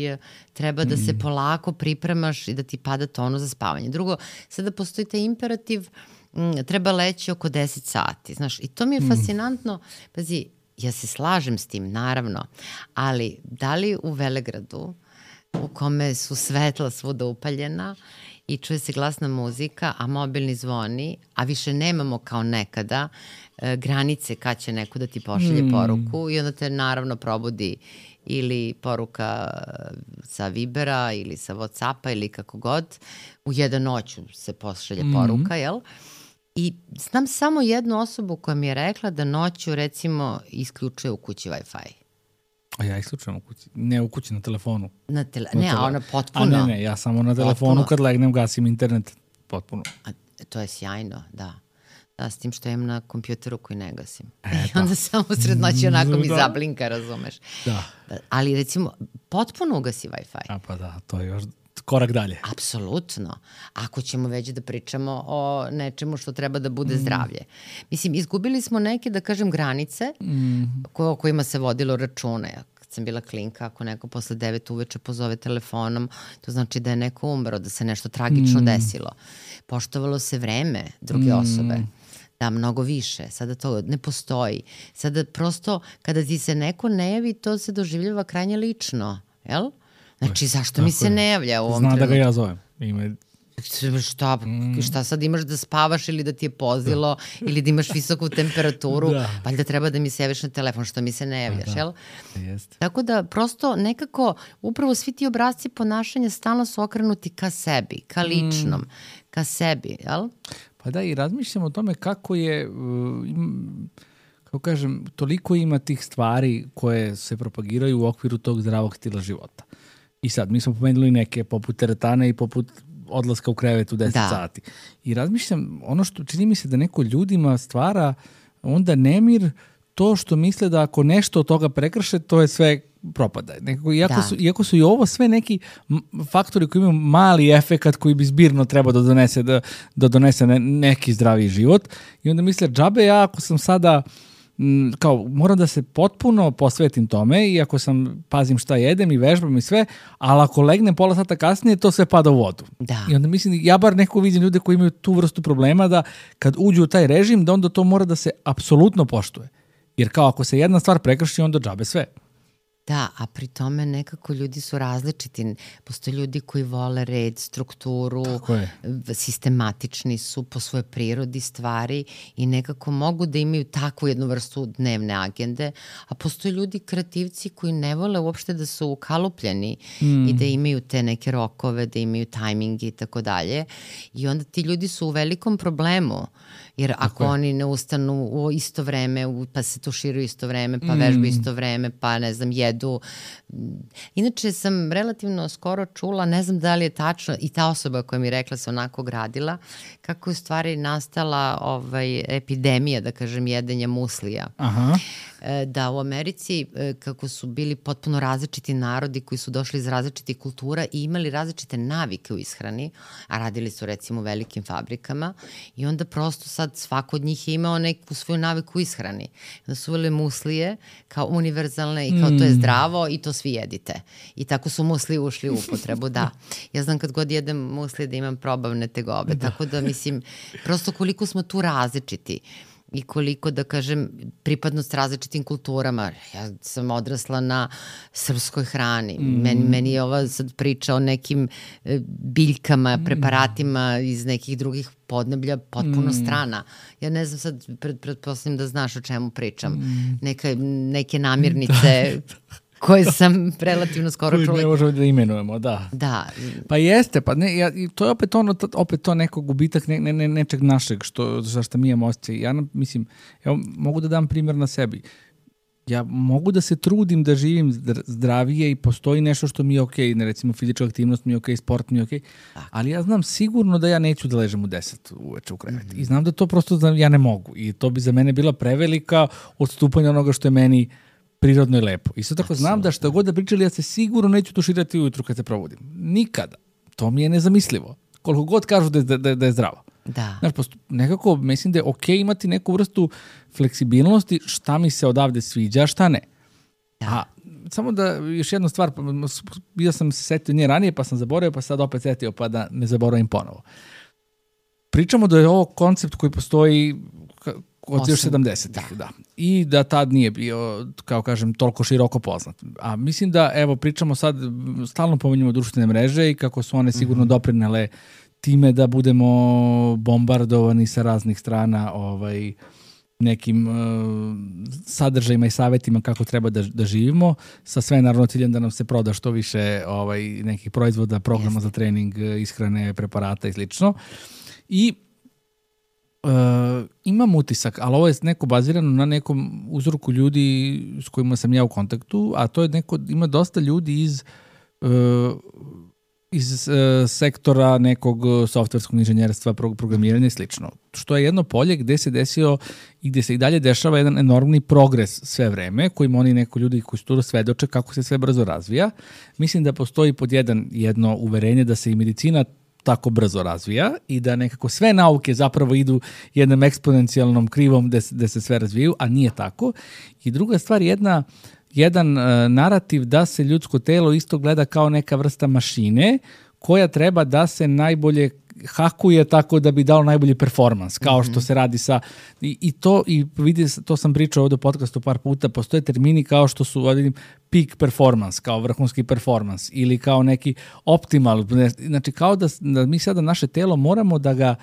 treba da se polako pripremaš i da ti pada tonus za spavanje. Drugo, sada postoji taj imperativ, m, treba leći oko deset sati, znaš, i to mi je fascinantno. Pazi, ja se slažem s tim, naravno, ali da li u Velegradu, u kome su svetla svuda upaljena i čuje se glasna muzika, a mobilni zvoni, a više nemamo kao nekada e, granice kad će neko da ti pošalje Mm. poruku i onda te naravno probudi ili poruka sa Vibera ili sa Whatsappa ili kako god. U jedan noću se pošalje Mhm. poruka, jel? I znam samo jednu osobu koja mi je rekla da noću recimo isključuje u kući Wi-Fi. A ja isključujem u kući. Ne u kući, na telefonu. Na tele... Na Ne, a tele- ona A potpuno. ne, ne, ja samo na telefonu Potpuno. kad legnem gasim internet. Potpuno. A, to je sjajno, da. Da, s tim što imam na kompjuteru koji ne gasim. E, I onda samo sred noći onako mi Da. zablinka, razumeš. Da. Ali recimo, potpuno ugasi Wi-Fi. A pa da, to je još korak dalje. Apsolutno. Ako ćemo već da pričamo o nečemu što treba da bude zdravlje. Mislim, izgubili smo neke, da kažem, granice ko, o kojima se vodilo račune. Kad sam bila klinka, ako neko posle devet uveče pozove telefonom, to znači da je neko umro, da se nešto tragično desilo. Poštovalo se vreme druge osobe. Da, mnogo više. Sada to ne postoji. Sada prosto, kada ti se neko ne javi, to se doživljava krajnje lično. Jel? Znači, zašto mi Tako se je. ne javlja u ovom Zna da trenutku? ga ja zovem. Ima Šta, mm. šta sad imaš da spavaš ili da ti je pozilo da. Ili da imaš visoku temperaturu, da. Valjda treba da mi se javiš na telefon, što mi se ne javljaš, da. Jel? Jeste. Tako da prosto nekako upravo svi ti obrazci ponašanja stalno su okrenuti ka sebi, ka ličnom, mm. ka sebi, jel? Pa da, i razmišljam o tome kako je, kako kažem, toliko ima tih stvari koje se propagiraju u okviru tog zdravog stila života. I sad, mi smo pomenuli neke poput teretane i poput odlaska u krevet u deset da. Sati. I razmišljam, ono što čini mi se da neko ljudima stvara onda nemir to što misle da ako nešto od toga prekrše, to je sve propada. Nekako, iako, da. su, iako su i ovo sve neki faktori koji imaju mali efekat koji bi zbirno trebao da donese, da, da donese ne, neki zdravi život. I onda misle, džabe ja ako sam sada kao, moram da se potpuno posvetim tome i ako sam, pazim šta jedem i vežbam i sve, ali ako legnem pola sata kasnije, to sve pada u vodu. Da. I onda mislim, ja bar neko vidim ljude koji imaju tu vrstu problema da kad uđu u taj režim, da onda to mora da se apsolutno poštuje. Jer kao ako se jedna stvar prekrši, onda džabe sve. Da, a pri tome nekako ljudi su različiti. Postoje ljudi koji vole red, strukturu, sistematični su po svojoj prirodi stvari i nekako mogu da imaju takvu jednu vrstu dnevne agende, a postoje ljudi kreativci koji ne vole uopšte da su ukalupljeni mm. i da imaju te neke rokove, da imaju tajmingi i tako dalje. I onda ti ljudi su u velikom problemu, jer ako tako oni ne ustanu u isto vreme, pa se tuširaju isto vreme, pa mm. vežbaju isto vreme, pa ne znam, jedu. Inače sam relativno skoro čula, ne znam da li je tačno, i ta osoba koja mi rekla se onako gradila, kako je u stvari nastala ovaj, epidemija, da kažem, jedenja muslija. Aha. Da u Americi, kako su bili potpuno različiti narodi koji su došli iz različitih kultura i imali različite navike u ishrani, a radili su recimo u velikim fabrikama i onda prosto sad svako od njih je imao neku svoju naviku u ishrani. Onda su uveli muslije kao univerzalne i kao mm. to je zdravo i to svi jedite. I tako su muslije ušli u upotrebu, da. Ja znam kad god jedem muslije da imam probavne tegobe, da. Tako da mislim, prosto koliko smo tu različiti. I koliko, da kažem, pripadnost različitim kulturama. Ja sam odrasla na srpskoj hrani. Mm. Meni, meni je ova sad priča o nekim biljkama, preparatima iz nekih drugih podneblja potpuno mm. strana. Ja ne znam sad, pred, pretpostavljam da znaš o čemu pričam. Mm. Neka, neke namirnice koje sam relativno skoro čula. Koje ne možemo da imenujemo, da. Da. Pa jeste, pa ne, ja, to je opet ono, opet to neko gubitak ne, ne, ne, nečeg našeg, što, za što mi imamo osjećaj. Ja mislim, evo, mogu da dam primjer na sebi. Ja mogu da se trudim da živim zdravije i postoji nešto što mi je okej, okay, recimo fizička aktivnost mi je okej, okay, sport mi je okej, okay, ali ja znam sigurno da ja neću da ležem u deset uveče u krevet. Mm-hmm. I znam da to prosto da ja ne mogu. I to bi za mene bila prevelika odstupanja onoga što je meni prirodno i lepo. Isto tako Absolutno. Znam da što god da pričali, ja se sigurno neću tuširati ujutru kad se probudim. Nikada. To mi je nezamislivo. Koliko god kažu da je, da, da je zdravo. Da. Znaš, posto, nekako mislim da je okej okay imati neku vrstu fleksibilnosti, šta mi se odavde sviđa, šta ne. Da. A samo da još jednu stvar, ja sam se setio nje ranije, pa sam zaboravio, pa sad opet setio, pa da ne zaboravim ponovo. Pričamo da je ovo koncept koji postoji od još sedamdesetih, da. da. I da tad nije bio, kao kažem, toliko široko poznat. A mislim da, evo, pričamo sad, stalno pominjamo društvene mreže i kako su one sigurno mm-hmm. doprinele time da budemo bombardovani sa raznih strana ovaj, nekim uh, sadržajima i savjetima kako treba da, da živimo, sa sve naravno ciljem da nam se proda što više ovaj, nekih proizvoda, programa Jeste. Za trening, ishrane, preparata i slično. I Uh, imam utisak, ali ovo je neko bazirano na nekom uzorku ljudi s kojima sam ja u kontaktu, a to je neko, ima dosta ljudi iz uh, iz uh, sektora nekog softverskog inženjerstva, programiranja i slično. Što je jedno polje gde se desio i gde se i dalje dešava jedan enormni progres sve vreme, kojim oni neko ljudi koji su tu svedoče kako se sve brzo razvija. Mislim da postoji pod jedan jedno uverenje da se i medicina tako brzo razvija i da nekako sve nauke zapravo idu jednom eksponencijalnom krivom gde se, gde se sve razvijaju, a nije tako. I druga stvar, jedna, jedan uh, narativ da se ljudsko telo isto gleda kao neka vrsta mašine koja treba da se najbolje hakuje tako da bi dao najbolji performans, kao što se radi sa... I, i to, i vidi, to sam pričao ovdje u podcastu par puta, postoje termini kao što su, vidim, peak performance, kao vrhunski performance, ili kao neki optimal, znači kao da, da mi sada naše telo moramo da ga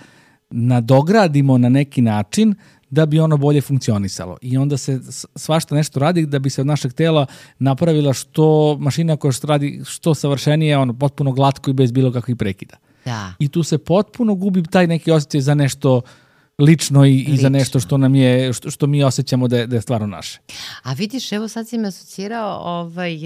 nadogradimo na neki način da bi ono bolje funkcionisalo. I onda se svašta nešto radi da bi se od našeg tela napravila što mašina koja što radi što savršenije, ono potpuno glatko i bez bilo kakvih prekida. Da. I tu se potpuno gubi taj neki osjećaj za nešto lično i, lično. i za nešto što nam je, što, što mi osjećamo da je, da je stvarno naše. A vidiš, evo sad si me asocirao, ovaj,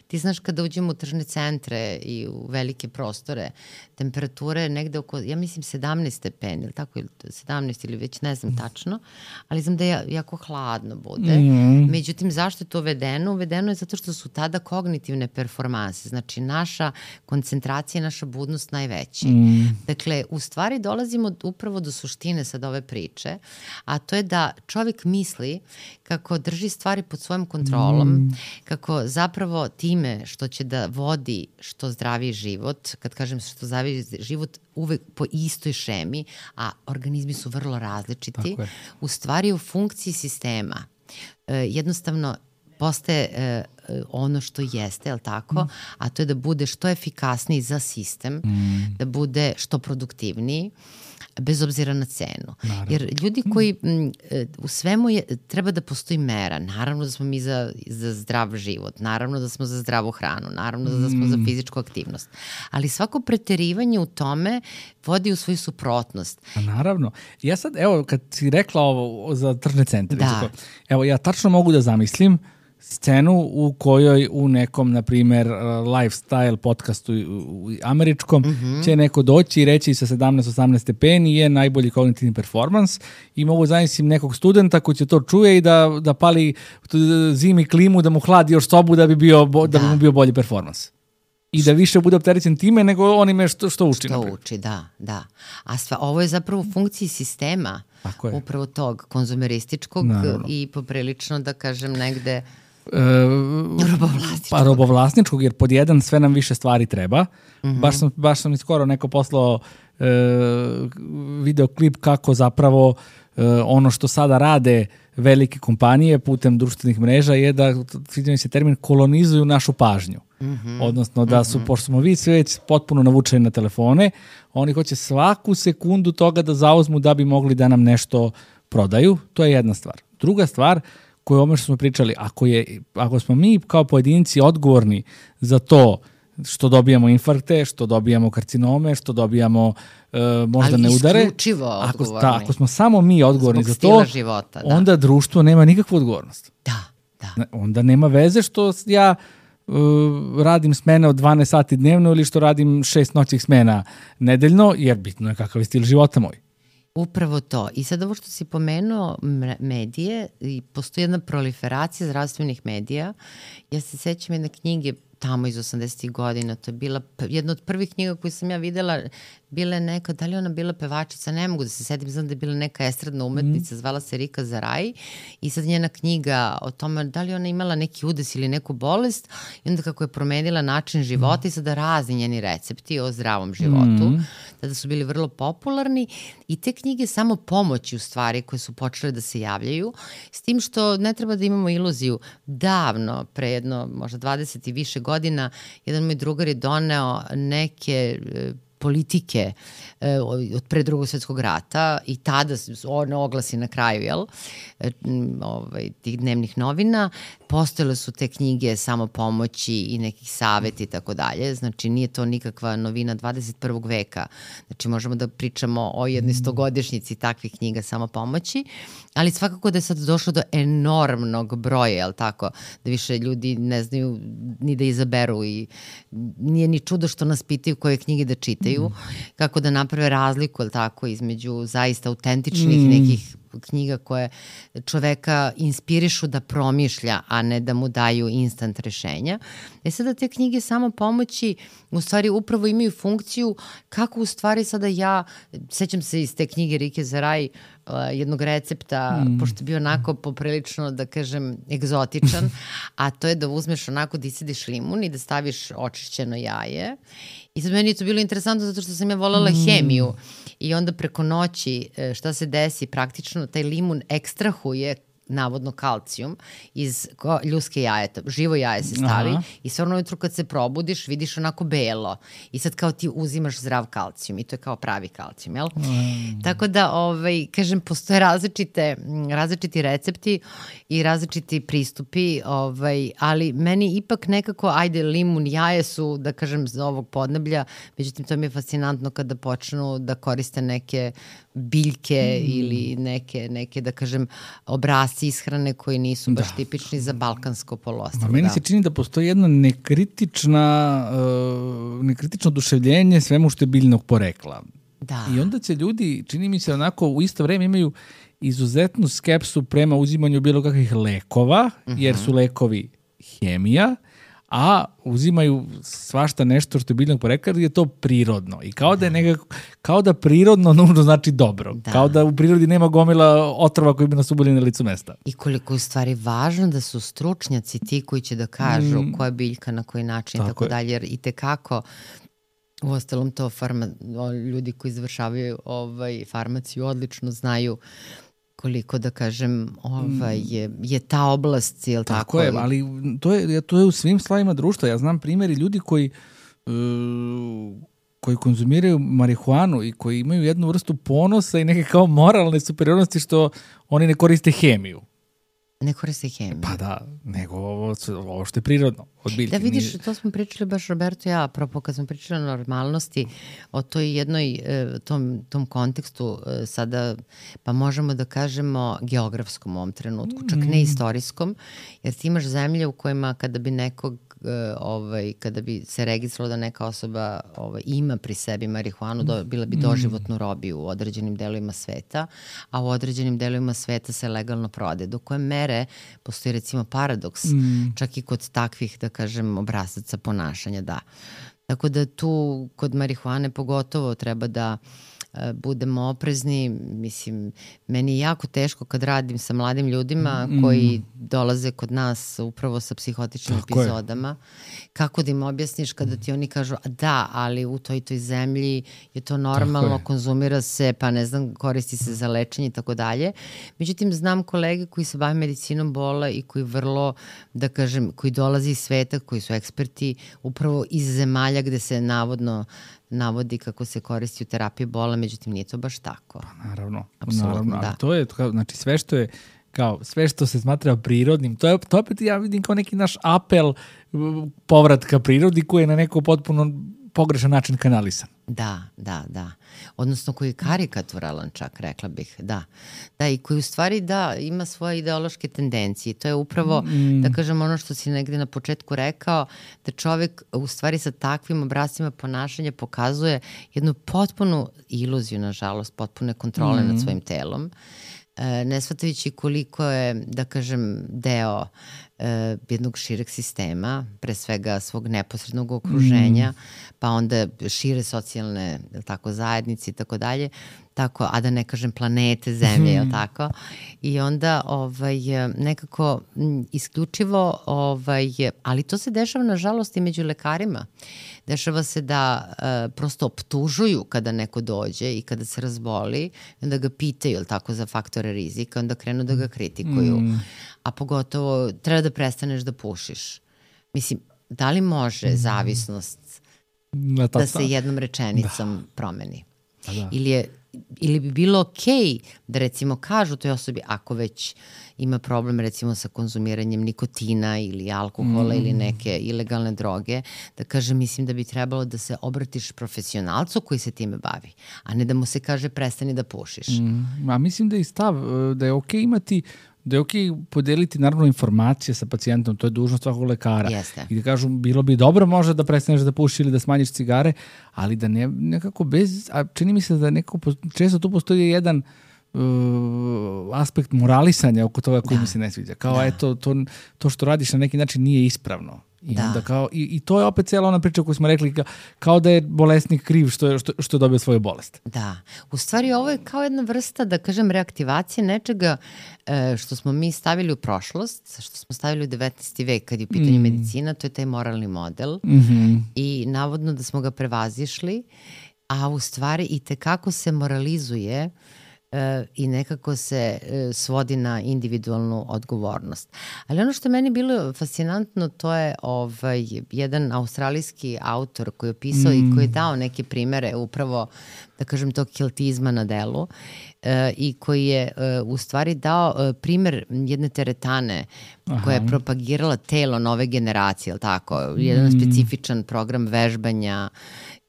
ti znaš kada uđemo u tržne centre i u velike prostore, temperature negde oko, ja mislim sedamnaest stepeni, ili tako, ili sedamnaest ili već ne znam tačno, ali znam da je jako hladno bude. Mm. Međutim, zašto je to uvedeno? Uvedeno je zato što su tada kognitivne performanse, znači naša koncentracija, naša budnost najveći. Mm. Dakle, u stvari dolazimo upravo do suštine sad ove priče, a to je da čovjek misli kako drži stvari pod svojom kontrolom, mm. kako zapravo time što će da vodi što zdraviji život, kad kažem što zdraviji život, uvek po istoj šemi, a organizmi su vrlo različiti, u stvari u funkciji sistema. E, jednostavno postaje e, ono što jeste, jel tako? Mm. A to je da bude što efikasniji za sistem, mm. da bude što produktivniji, bez obzira na cenu. Naravno. Jer ljudi koji m, u svemu je, treba da postoji mera. Naravno da smo mi za, za zdrav život, naravno da smo za zdravu hranu, naravno da smo mm. za fizičku aktivnost. Ali svako preterivanje u tome vodi u svoju suprotnost. A naravno. Ja sad, evo, kad si rekla ovo za tržne centre, da. Evo, ja tačno mogu da zamislim scenu u kojoj u nekom, na primjer, lifestyle podcastu američkom mm-hmm. će neko doći i reći sa sedamnaest osamnaest stepeni je najbolji kognitivni performans i mogu zamislim nekog studenta koji će to čuje i da, da pali zimi klimu, da mu hladi još sobu da bi, bio, da. Da bi mu bio bolji performans. I da više bude opterećen time nego onime što, što uči. Što naprijed. uči, da, da. A sva, ovo je zapravo u funkciji sistema upravo tog konzumerističkog Naravno. I poprilično, da kažem, negde E, robovlasničkog. Pa robovlasničkog, jer pod jedan sve nam više stvari treba. Mm-hmm. Baš sam, baš sam skoro neko poslao e, videoklip kako zapravo e, ono što sada rade velike kompanije putem društvenih mreža je da, sviđa se termin, kolonizuju našu pažnju. Mm-hmm. Odnosno da su, mm-hmm. pošto smo vi sve već potpuno navučeni na telefone, oni hoće svaku sekundu toga da zauzmu da bi mogli da nam nešto prodaju. To je jedna stvar. Druga stvar, koje ono što smo pričali, ako, je, ako smo mi kao pojedinci odgovorni za to što dobijamo infarkte, što dobijamo karcinome, što dobijamo uh, moždane udare, ako, ta, ako smo samo mi odgovorni Zbog za to, života, da. Onda društvo nema nikakvu odgovornost. Da, da. Onda nema veze što ja uh, radim smene od dvanaest sati dnevno ili što radim šest noćih smena nedeljno, jer bitno je kakav je stil života moj. Upravo to. I sad ovo što si pomenuo medije, i postoji jedna proliferacija zdravstvenih medija. Ja se sećam jedne knjige tamo iz osamdesetih godina, to je bila jedna od prvih knjiga koju sam ja videla, bila je neka, da li ona bila pevačica, ne mogu da se setim, znam da je bila neka estradna umetnica, mm. zvala se Rika Zaraj, i sad njena knjiga o tome da li ona imala neki udes ili neku bolest, i onda kako je promenila način života mm. i sada razni njeni recepti o zdravom životu, mm. tada su bili vrlo popularni, i te knjige samo pomoći u stvari koje su počele da se javljaju, s tim što ne treba da imamo iluziju. Davno, pre jedno možda dvadeset i više godina, jedan moj drugar je doneo neke politike e, od pre drugog svjetskog rata i tada one oglasi na kraju, jel, e, ovaj, tih dnevnih novina, postojale su te knjige samopomoći i nekih savjeti i tako dalje, znači nije to nikakva novina dvadeset prvog veka, znači možemo da pričamo o jednoj stogodišnjici takvih knjiga samopomoći, ali svakako da je sad došlo do enormnog broja, jel tako, da više ljudi ne znaju ni da izaberu i nije ni čudo što nas pitaju koje knjige da čitaju, mm. kako da naprave razliku, jel tako, između zaista autentičnih mm. nekih knjiga koje čoveka inspirišu da promišlja, a ne da mu daju instant rešenja. E sada te knjige samo pomoći u stvari upravo imaju funkciju kako u stvari sada ja, sećam se iz te knjige Rike za raj, uh, jednog recepta, mm. pošto je bio onako poprilično, da kažem, egzotičan, a to je da uzmeš onako da isediš limun i da staviš očišćeno jaje. I sad meni je to bilo interesantno zato što sam ja voljela mm. hemiju i onda preko noći šta se desi, praktično taj limun ekstrahuje navodno kalcijum iz ljudske jajeta, živo jaje se stavi. Aha. I stvarno ujutru kad se probudiš vidiš onako belo i sad kao ti uzimaš zdrav kalcijum i to je kao pravi kalcijum, jel? Mm. Tako da, ovaj, kažem, postoje različite, različiti recepti i različiti pristupi, ovaj, ali meni ipak nekako, ajde, limun, jaje su, da kažem, za ovog podneblja, međutim to mi je fascinantno kada počnu da koriste neke biljke mm. ili neke, neke, da kažem, obrasci ishrane koji nisu baš da. tipični za balkansko poluostrvo. Meni da. se čini da postoji jedno nekritična, uh, nekritično oduševljenje svemu što je biljnog porekla. Da. I onda će ljudi, čini mi se onako, u isto vreme imaju izuzetnu skepsu prema uzimanju bilo kakvih lekova, uh-huh. jer su lekovi hemija, a uzimaju svašta nešto što je biljnog porekla jer je to prirodno. I kao da je nekako, kao da prirodno nužno znači dobro. Da. Kao da u prirodi nema gomila otrova koji bi nas ubili na licu mesta. I koliko je u stvari važno da su stručnjaci ti koji će da kažu mm. koja biljka, na koji način, tako, tako dalje. Jer i tekako, u ostalom to farma, ljudi koji završavaju ovaj, farmaciju odlično znaju koliko, da kažem, ovaj, je, je ta oblast, je li tako? Tako je, ali to je, to je u svim slavima društva. Ja znam primjeri ljudi koji, uh, koji konzumiraju marihuanu i koji imaju jednu vrstu ponosa i neke kao moralne superiornosti što oni ne koriste hemiju. Ne koriste hemiju. Pa da, nego ovo, ovo što je prirodno. Od biljke. Da vidiš, to smo pričali baš Roberto i ja, apropo kad smo pričali o normalnosti, o toj jednoj, tom, tom kontekstu sada, pa možemo da kažemo geografskom u ovom trenutku, čak ne istorijskom, jer ti imaš zemlje u kojima kada bi nekog ovaj, kada bi se registrovalo da neka osoba ovaj, ima pri sebi marihuanu, do, bila bi doživotnu robiju u određenim delovima sveta, a u određenim delovima sveta se legalno prode. Do koje mere postoji recimo paradoks, mm. čak i kod takvih, da kažem, obrazaca ponašanja, da. Tako da tu kod marihuane pogotovo treba da budemo oprezni. Mislim, meni je jako teško kad radim sa mladim ljudima mm. koji dolaze kod nas upravo sa psihotičnim Tako epizodama. Je. Kako da im objasniš kada ti oni kažu da, ali u toj toj zemlji je to normalno, je. konzumira se, pa ne znam, koristi se za lečenje i tako dalje. Međutim, znam kolege koji se bave medicinom bola i koji vrlo, da kažem, koji dolaze iz sveta, koji su eksperti upravo iz zemalja gde se navodno navodi kako se koristi u terapiji bola, međutim nije to baš tako. Pa naravno, Apsolutno, naravno, da. Ali to je, znači sve što je kao, sve što se smatra prirodnim, to je, to opet ja vidim kao neki naš apel povratka prirodi koji je na neko potpuno pogrešan način kanalisan. Da, da, da. Odnosno koji je karikaturalan čak, rekla bih, da. Da, i koji u stvari, da, ima svoje ideološke tendencije. To je upravo, mm. da kažem, ono što si negde na početku rekao, da čovek u stvari sa takvim obrascima ponašanja pokazuje jednu potpunu iluziju, nažalost, potpune kontrole mm. nad svojim telom. E, ne shvatajući koliko je, da kažem, deo e, jednog šireg sistema, pre svega svog neposrednog okruženja, mm. pa onda šire socijalne tako, zajednice i tako dalje, tako, a da ne kažem planete, zemlje, mm. tako. I onda ovaj, nekako m, isključivo, ovaj, ali to se dešava nažalost i među lekarima. Dešava se da uh, prosto optužuju kada neko dođe i kada se razboli, onda ga pitaju, jel tako, za faktore rizika, onda krenu da ga kritikuju. Mm. A pogotovo treba da prestaneš da pušiš. Mislim, da li može mm. zavisnost da, da se jednom rečenicom da. promeni? Da, da. Ili, je, ili bi bilo okej da recimo kažu toj osobi ako već ima problem recimo sa konzumiranjem nikotina ili alkohola mm. ili neke ilegalne droge, da kaže mislim da bi trebalo da se obratiš profesionalcu koji se time bavi, a ne da mu se kaže prestani da pušiš. Mm. A mislim da je stav da je okej imati da je okej podeliti naravno informacije sa pacijentom, to je dužnost svakog lekara. Jeste. I da kažu, bilo bi dobro možda da prestaneš da pušiš ili da smanjiš cigare, ali da ne, nekako bez, a čini mi se da nekako, često tu postoji jedan aspekt moralisanja oko toga koji da. mi se ne sviđa. Kao, da. eto, to, to što radiš na neki način nije ispravno. I, da. onda kao, i, i to je opet cijela ona priča koju smo rekli, kao, kao da je bolesnik kriv što je, što, što je dobio svoju bolest. Da. U stvari ovo je kao jedna vrsta, da kažem, reaktivacije nečega e, što smo mi stavili u prošlost, što smo stavili u devetnaesti vek kad je u pitanju mm. medicina, to je taj moralni model. Mm-hmm. I navodno da smo ga prevazišli, a u stvari i tekako se moralizuje e, i nekako se e, svodi na individualnu odgovornost. Ali ono što je meni bilo fascinantno, to je ovaj, jedan australijski autor koji je opisao mm. i koji je dao neke primere upravo, da kažem, tog keltizma na delu e, i koji je e, u stvari dao e, primer jedne teretane Aha. koja je propagirala telo nove generacije, ali tako, jedan mm. specifičan program vežbanja.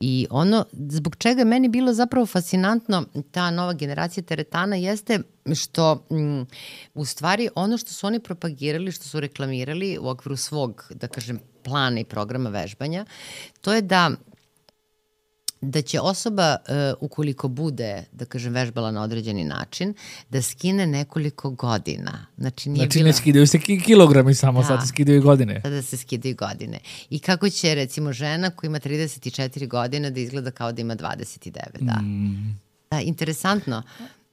I ono zbog čega je meni bilo zapravo fascinantno ta nova generacija teretana jeste što m, u stvari ono što su oni propagirali, što su reklamirali u okviru svog, da kažem, plana i programa vežbanja, to je da da će osoba, uh, ukoliko bude, da kažem, vežbala na određeni način, da skine nekoliko godina. Znači, nije znači bila... ne skidaju se kilogrami samo, da. Sad se skidaju godine. Sada se skidaju godine. I kako će, recimo, žena koja ima trideset četiri godine da izgleda kao da ima dvadeset devet, da. Mm. Da, interesantno.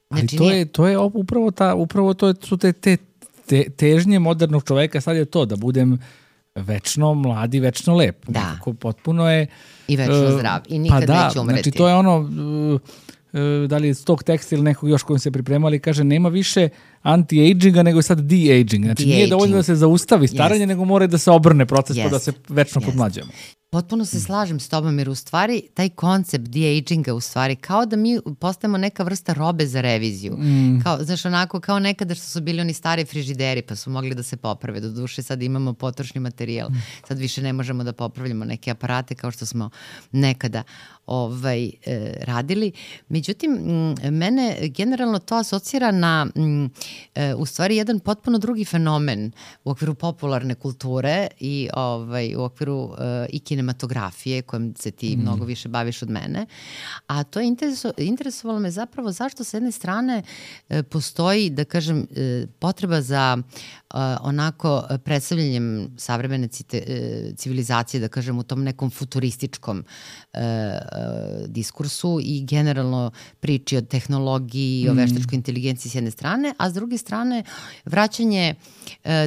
Znači, ali to, nije... je, to je upravo, ta, upravo to su te, te, te težnje modernog čoveka, sad je to, da budem večno mladi, večno lep. Da. Nekako potpuno je... I večno zdrav. I nikad pa da, neće umreti. Znači to je ono, da li je tog teksta ili nekog još kojim se pripremali, kaže nema više anti-aginga nego je sad de-aging. Znači de-aging. Nije dovoljno da se zaustavi staranje, yes. nego mora da se obrne proces yes. pa da se večno yes. podmlađujemo. Potpuno se slažem s tobom jer u stvari taj koncept de-aginga u stvari kao da mi postajemo neka vrsta robe za reviziju. Mm. Kao, znaš, onako kao nekada što su bili oni stari frižideri pa su mogli da se poprave. Do duše sad imamo potrošni materijal. Mm. Sad više ne možemo da popravljamo neke aparate kao što smo nekada ovaj, e, radili. Međutim, m, mene generalno to asocira na m, e, u stvari jedan potpuno drugi fenomen u okviru popularne kulture i ovaj, u okviru e, i kinematografije kojom se ti mm. mnogo više baviš od mene. A to je intereso, interesovalo me zapravo zašto s jedne strane e, postoji, da kažem, e, potreba za e, onako predstavljanjem savremene cite, e, civilizacije, da kažem, u tom nekom futurističkom e, diskursu i generalno priči o tehnologiji i o veštačkoj inteligenciji s jedne strane, a s druge strane vraćanje,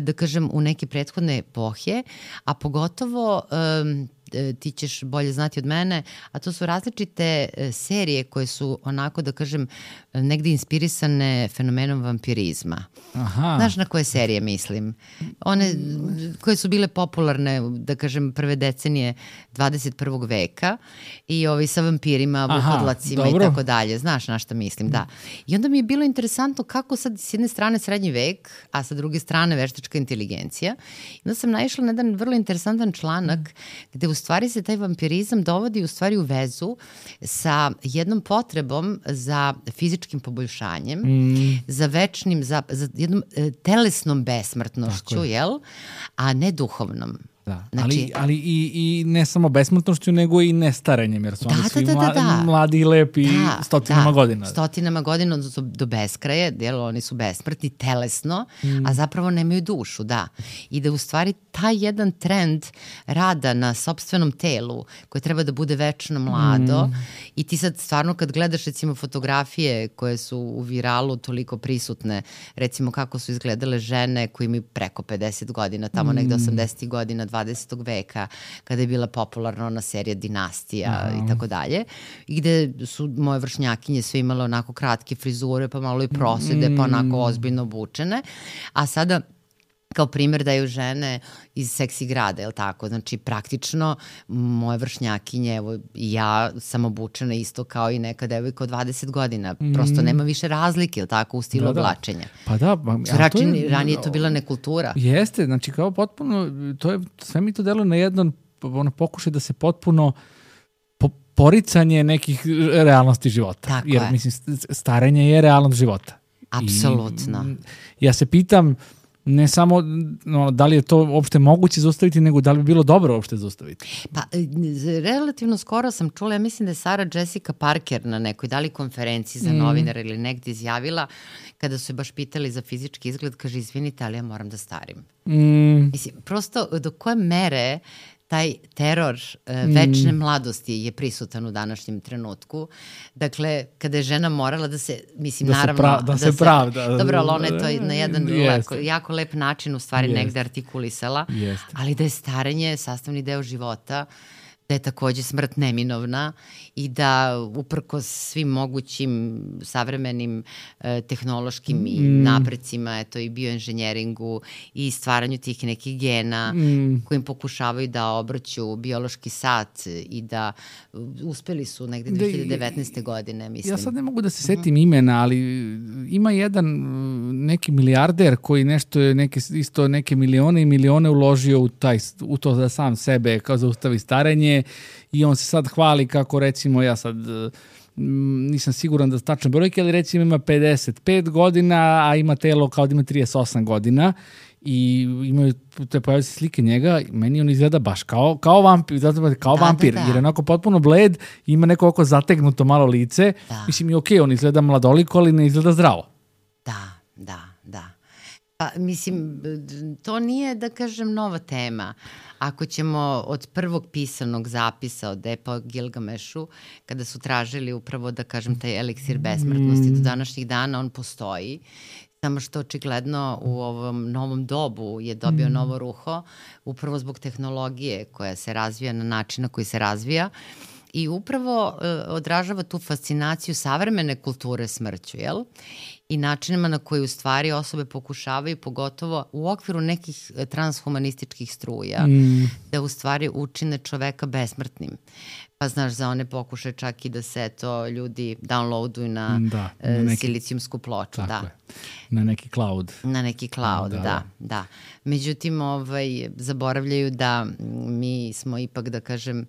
da kažem, u neke prethodne epohe, a pogotovo ti ćeš bolje znati od mene, a to su različite serije koje su onako, da kažem, negde inspirisane fenomenom vampirizma. Aha. Znaš na koje serije mislim? One koje su bile popularne, da kažem, prve decenije dvadeset prvog veka i ovi sa vampirima, vukodlacima i tako dalje. Znaš na šta mislim, da. I onda mi je bilo interesantno kako sad s jedne strane srednji vek, a sa druge strane veštačka inteligencija. I onda sam naišla na jedan vrlo interesantan članak gde u stvari se taj vampirizam dovodi u stvari u vezu sa jednom potrebom za fizičkim poboljšanjem, mm. za večnim, za, za jednom e, telesnom besmrtnošću, jel? A ne duhovnom. Da. Znači, ali ali i, i ne samo besmrtnošću, nego i nestarenjem, jer su da, oni svi da, da, da, da. mladi i lepi da, stotinama da, godina. Stotinama godina, odnosno do beskraje, jel, oni su besmrtni telesno, mm. a zapravo nemaju dušu, da. I da u stvari taj jedan trend rada na sopstvenom telu, koje treba da bude večno mlado, mm. i ti sad stvarno kad gledaš recimo fotografije koje su u viralu toliko prisutne, recimo kako su izgledale žene koje imaju preko pedeset godina, tamo mm. negde osamdesetih godina, dvadesetog veka, kada je bila popularna ona serija Dinastija Aha. i tako dalje, i gde su moje vršnjakinje sve imale onako kratke frizure, pa malo i prosede, mm. pa onako ozbiljno obučene, a sada kao primjer daju žene iz seksi grada, je li tako? Znači, praktično, moje vršnjakinje, evo, ja sam obučena isto kao i neka devojka od dvadeset godina. Prosto nema više razlike, je li tako, u stilu da, da. oblačenja. Pa da. Pa, Račin, je, ranije je to bila nekultura. Jeste, znači kao potpuno, to je, sve mi to deluje na jedan ono, pokušaj da se potpuno po, poricanje nekih realnosti života. Tako Jer, je. mislim, starenje je realnost života. Apsolutno. I, ja se pitam, Ne samo no, da li je to uopšte moguće zaustaviti, nego da li bi bilo dobro uopšte zaustaviti. Pa, relativno skoro sam čula, ja mislim da je Sara Jessica Parker na nekoj dali konferenciji za novinara mm. ili negde izjavila, kada su je baš pitali za fizički izgled, kaže, izvinite, ali ja moram da starim. Mm. Mislim, prosto do koje mere taj teror uh, večne mm. mladosti je prisutan u današnjem trenutku. Dakle, kada je žena morala da se, mislim, da naravno... Se pra, da, da se pravda. Dobro, ali ona je to na jedan lako, jako lep način u stvari Jest. negde artikulisala, Jest. ali da je starenje sastavni deo života, da je takođe smrt neminovna i da uprkos svim mogućim savremenim e, tehnološkim mm. i naprecima, eto i bioinženjeringu i stvaranju tih nekih gena mm. kojim pokušavaju da obrću biološki sat i da uspeli su negde dve hiljade devetnaeste. godine, mislim. Ja sad ne mogu da se setim uh-huh. imena, ali ima jedan neki milijarder koji nešto je neke, isto neke milione i milione uložio u, taj, u to za sam sebe kao zaustavi starenje. I on se sad hvali kako recimo, ja sad nisam siguran da tačne brojke, ali recimo ima pedeset pet godina, a ima telo kao da ima trideset osam godina i imaju te pojavljaju se slike njega, meni on izgleda baš kao, kao vampir, zato kao da, vampir da, da. jer je onako potpuno bled, ima neko oko zategnuto malo lice, da. Mislim i okej, okay, on izgleda mladoliko, ali ne izgleda zdravo. Da, da, da. Pa, mislim, to nije, da kažem, nova tema. Ako ćemo od prvog pisanog zapisa od epa Gilgamešu, kada su tražili upravo, da kažem, taj eliksir besmrtnosti, do današnjih dana on postoji, samo što očigledno u ovom novom dobu je dobio novo ruho, upravo zbog tehnologije koja se razvija na način na koji se razvija, i upravo e, odražava tu fascinaciju savremene kulture smrću, jel? I načinima na koji u stvari osobe pokušavaju, pogotovo u okviru nekih transhumanističkih struja, mm. da u stvari učine čoveka besmrtnim. Pa znaš, za one pokušaje čak i da se to ljudi downloaduju na, da, na neki, silicijumsku ploču. Da. Je. Na neki cloud. Na neki cloud, da, da. da, da. Međutim, ovaj, zaboravljaju da mi smo ipak, da kažem,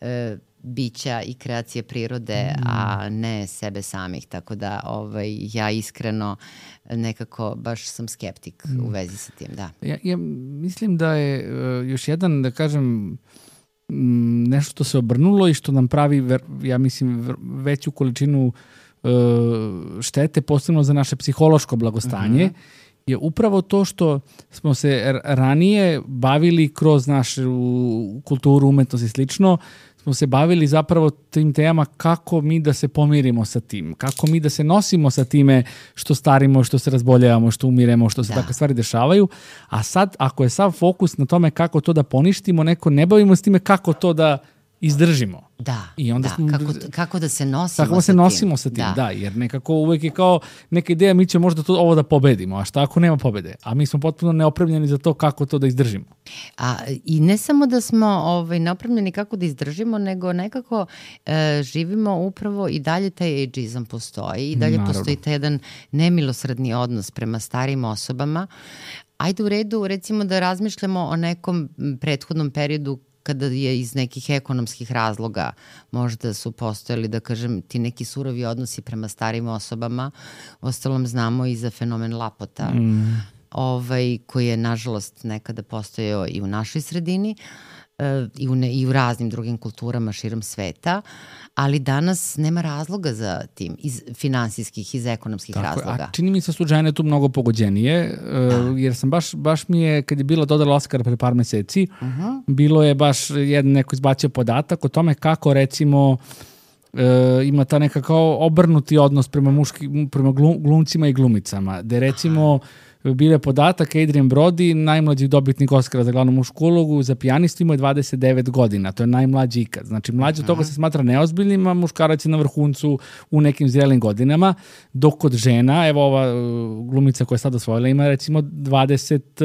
e, bića i kreacije prirode, mm. a ne sebe samih, tako da ovaj, ja iskreno nekako baš sam skeptik mm. u vezi sa tim, da. Ja, ja mislim da je uh, još jedan, da kažem, m, nešto što se obrnulo i što nam pravi, ver, ja mislim, ver, veću količinu uh, štete, posebno za naše psihološko blagostanje, mm-hmm. je upravo to što smo se ranije bavili kroz našu kulturu, umetnost i slično, smo se bavili zapravo tim temama kako mi da se pomirimo sa tim, kako mi da se nosimo sa time što starimo, što se razboljavamo, što umiremo, što se da. takve stvari dešavaju, a sad ako je sav fokus na tome kako to da poništimo, neko ne bavimo s time kako to da izdržimo. Da, I onda da. Smo, kako, kako da se nosimo kako sa se tim. nosimo sa tim, da. da, jer nekako uvek je kao neka ideja, mi ćemo možda to, ovo da pobedimo, a šta ako nema pobede? A mi smo potpuno neopremljeni za to kako to da izdržimo. A, I ne samo da smo ovaj, neopremljeni kako da izdržimo, nego nekako e, živimo upravo i dalje taj ageizam postoji i dalje Naravno. postoji taj jedan nemilosredni odnos prema starim osobama. Ajde u redu, recimo da razmišljamo o nekom prethodnom periodu kada je iz nekih ekonomskih razloga možda su postojali, da kažem, ti neki surovi odnosi prema starim osobama. Ostalom znamo i za fenomen Lapota, mm. ovaj, koji je, nažalost, nekada postojao i u našoj sredini e, i, u ne, i u raznim drugim kulturama širom sveta, ali danas nema razloga za tim, iz finansijskih, iz ekonomskih Tako, razloga. A čini mi se su žene tu mnogo pogođenije, uh, jer sam baš, baš mi je, kad je bila dodala Oskara pre par meseci, uh-huh. bilo je baš jedan neko izbacio podatak o tome kako, recimo, uh, ima ta neka kao obrnuti odnos prema, muški, prema glumcima i glumicama, gde recimo bile podatak Adrien Brody, najmlađi dobitnik Oscara za glavnu mušku ulogu, za pijanistu ima dvadeset devet godina, to je najmlađi ikad. Znači, mlađi od toga se smatra neozbiljnim, a muškarac je na vrhuncu u nekim zrelim godinama, dok kod žena, evo ova glumica koja je sad osvojila, ima recimo dvadeset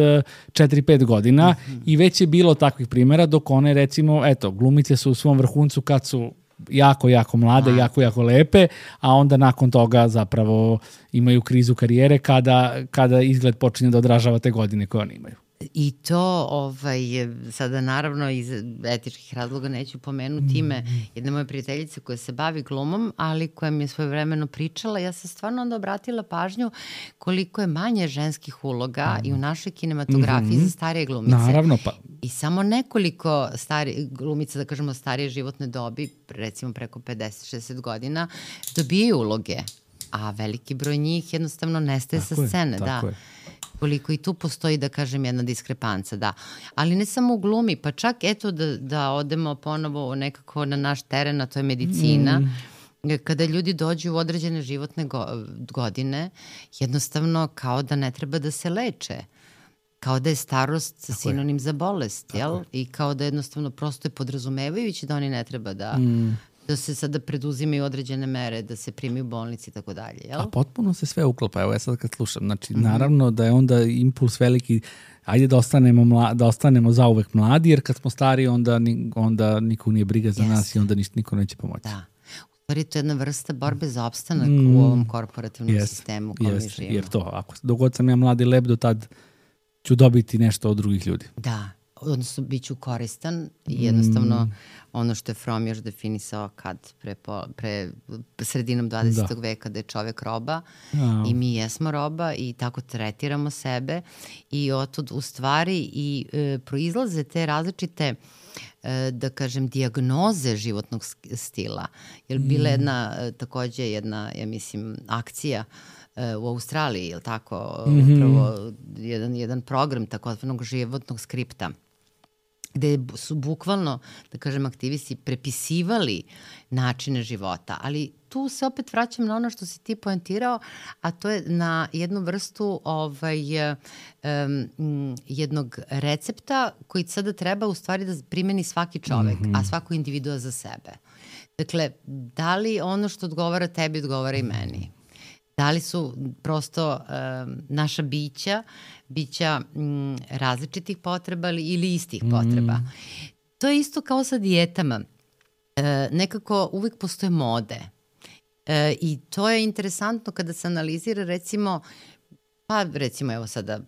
četiri pet godina mm-hmm. i već je bilo takvih primjera, dok one recimo, eto, glumice su u svom vrhuncu kad su jako, jako mlade, jako, jako lepe, a onda nakon toga zapravo imaju krizu karijere kada, kada izgled počinje da odražava te godine koje oni imaju. I to, ovaj, sada naravno iz etičkih razloga neću pomenuti ime jedne moje prijateljice koja se bavi glumom, ali koja mi je svojevremeno pričala. Ja sam stvarno onda obratila pažnju koliko je manje ženskih uloga mm. i u našoj kinematografiji mm-hmm. za starije glumice. Naravno, pa. I samo nekoliko stari, glumica, da kažemo starije životne dobi, recimo preko pedeset šezdeset godina, dobijaju uloge, a veliki broj njih jednostavno nestaje tako sa scene. Je, tako da. je. Koliko i tu postoji, da kažem, jedna diskrepanca, da. Ali ne samo u glumi, pa čak eto da, da odemo ponovo nekako na naš teren, a to je medicina. Mm. Kada ljudi dođu u određene životne go, godine, jednostavno kao da ne treba da se leče. Kao da je starost tako sinonim je. Za bolest, jel? Je. I kao da jednostavno prosto je podrazumevajući da oni ne treba da... Mm. da se sada preduzimaju određene mere, da se primi u bolnici i tako dalje, jel? A potpuno se sve uklapa, evo ja sad kad slušam, znači mm-hmm. naravno da je onda impuls veliki, ajde da ostanemo, mla, da ostanemo zauvek mladi, jer kad smo stari onda, ni, onda niko nije briga za yes. nas i onda ništa, niko neće pomoći. Da. U stvari to je jedna vrsta borbe za opstanak mm. u ovom korporativnom yes. sistemu u kojem yes. mi živimo. Jer to, ako dogod sam ja mladi lep, do tad ću dobiti nešto od drugih ljudi. Da. Odnosno, bit ću koristan i jednostavno mm. ono što je Fromm još definisao kad pre, po, pre sredinom dvadesetog da. Veka da je čovek roba ja. I mi jesmo roba i tako tretiramo sebe i otud u stvari i e, proizlaze te različite e, da kažem dijagnoze životnog stila. Jer bila mm. jedna e, takođe jedna, ja mislim, akcija u Australiji, je li tako, mm-hmm. upravo jedan, jedan program takozvanog životnog skripta, gde su bukvalno, da kažem, aktivisti prepisivali načine života, ali tu se opet vraćam na ono što si ti poentirao, a to je na jednu vrstu ovaj, um, jednog recepta koji sada treba u stvari da primeni svaki čovek, mm-hmm. a svako individua za sebe. Dakle, da li ono što odgovara tebi odgovara i meni? Da li su prosto um, naša bića, bića um, različitih potreba ili istih mm. potreba. To je isto kao sa dijetama. E, nekako uvijek postoje mode. E, I to je interesantno kada se analizira recimo, pa recimo evo sada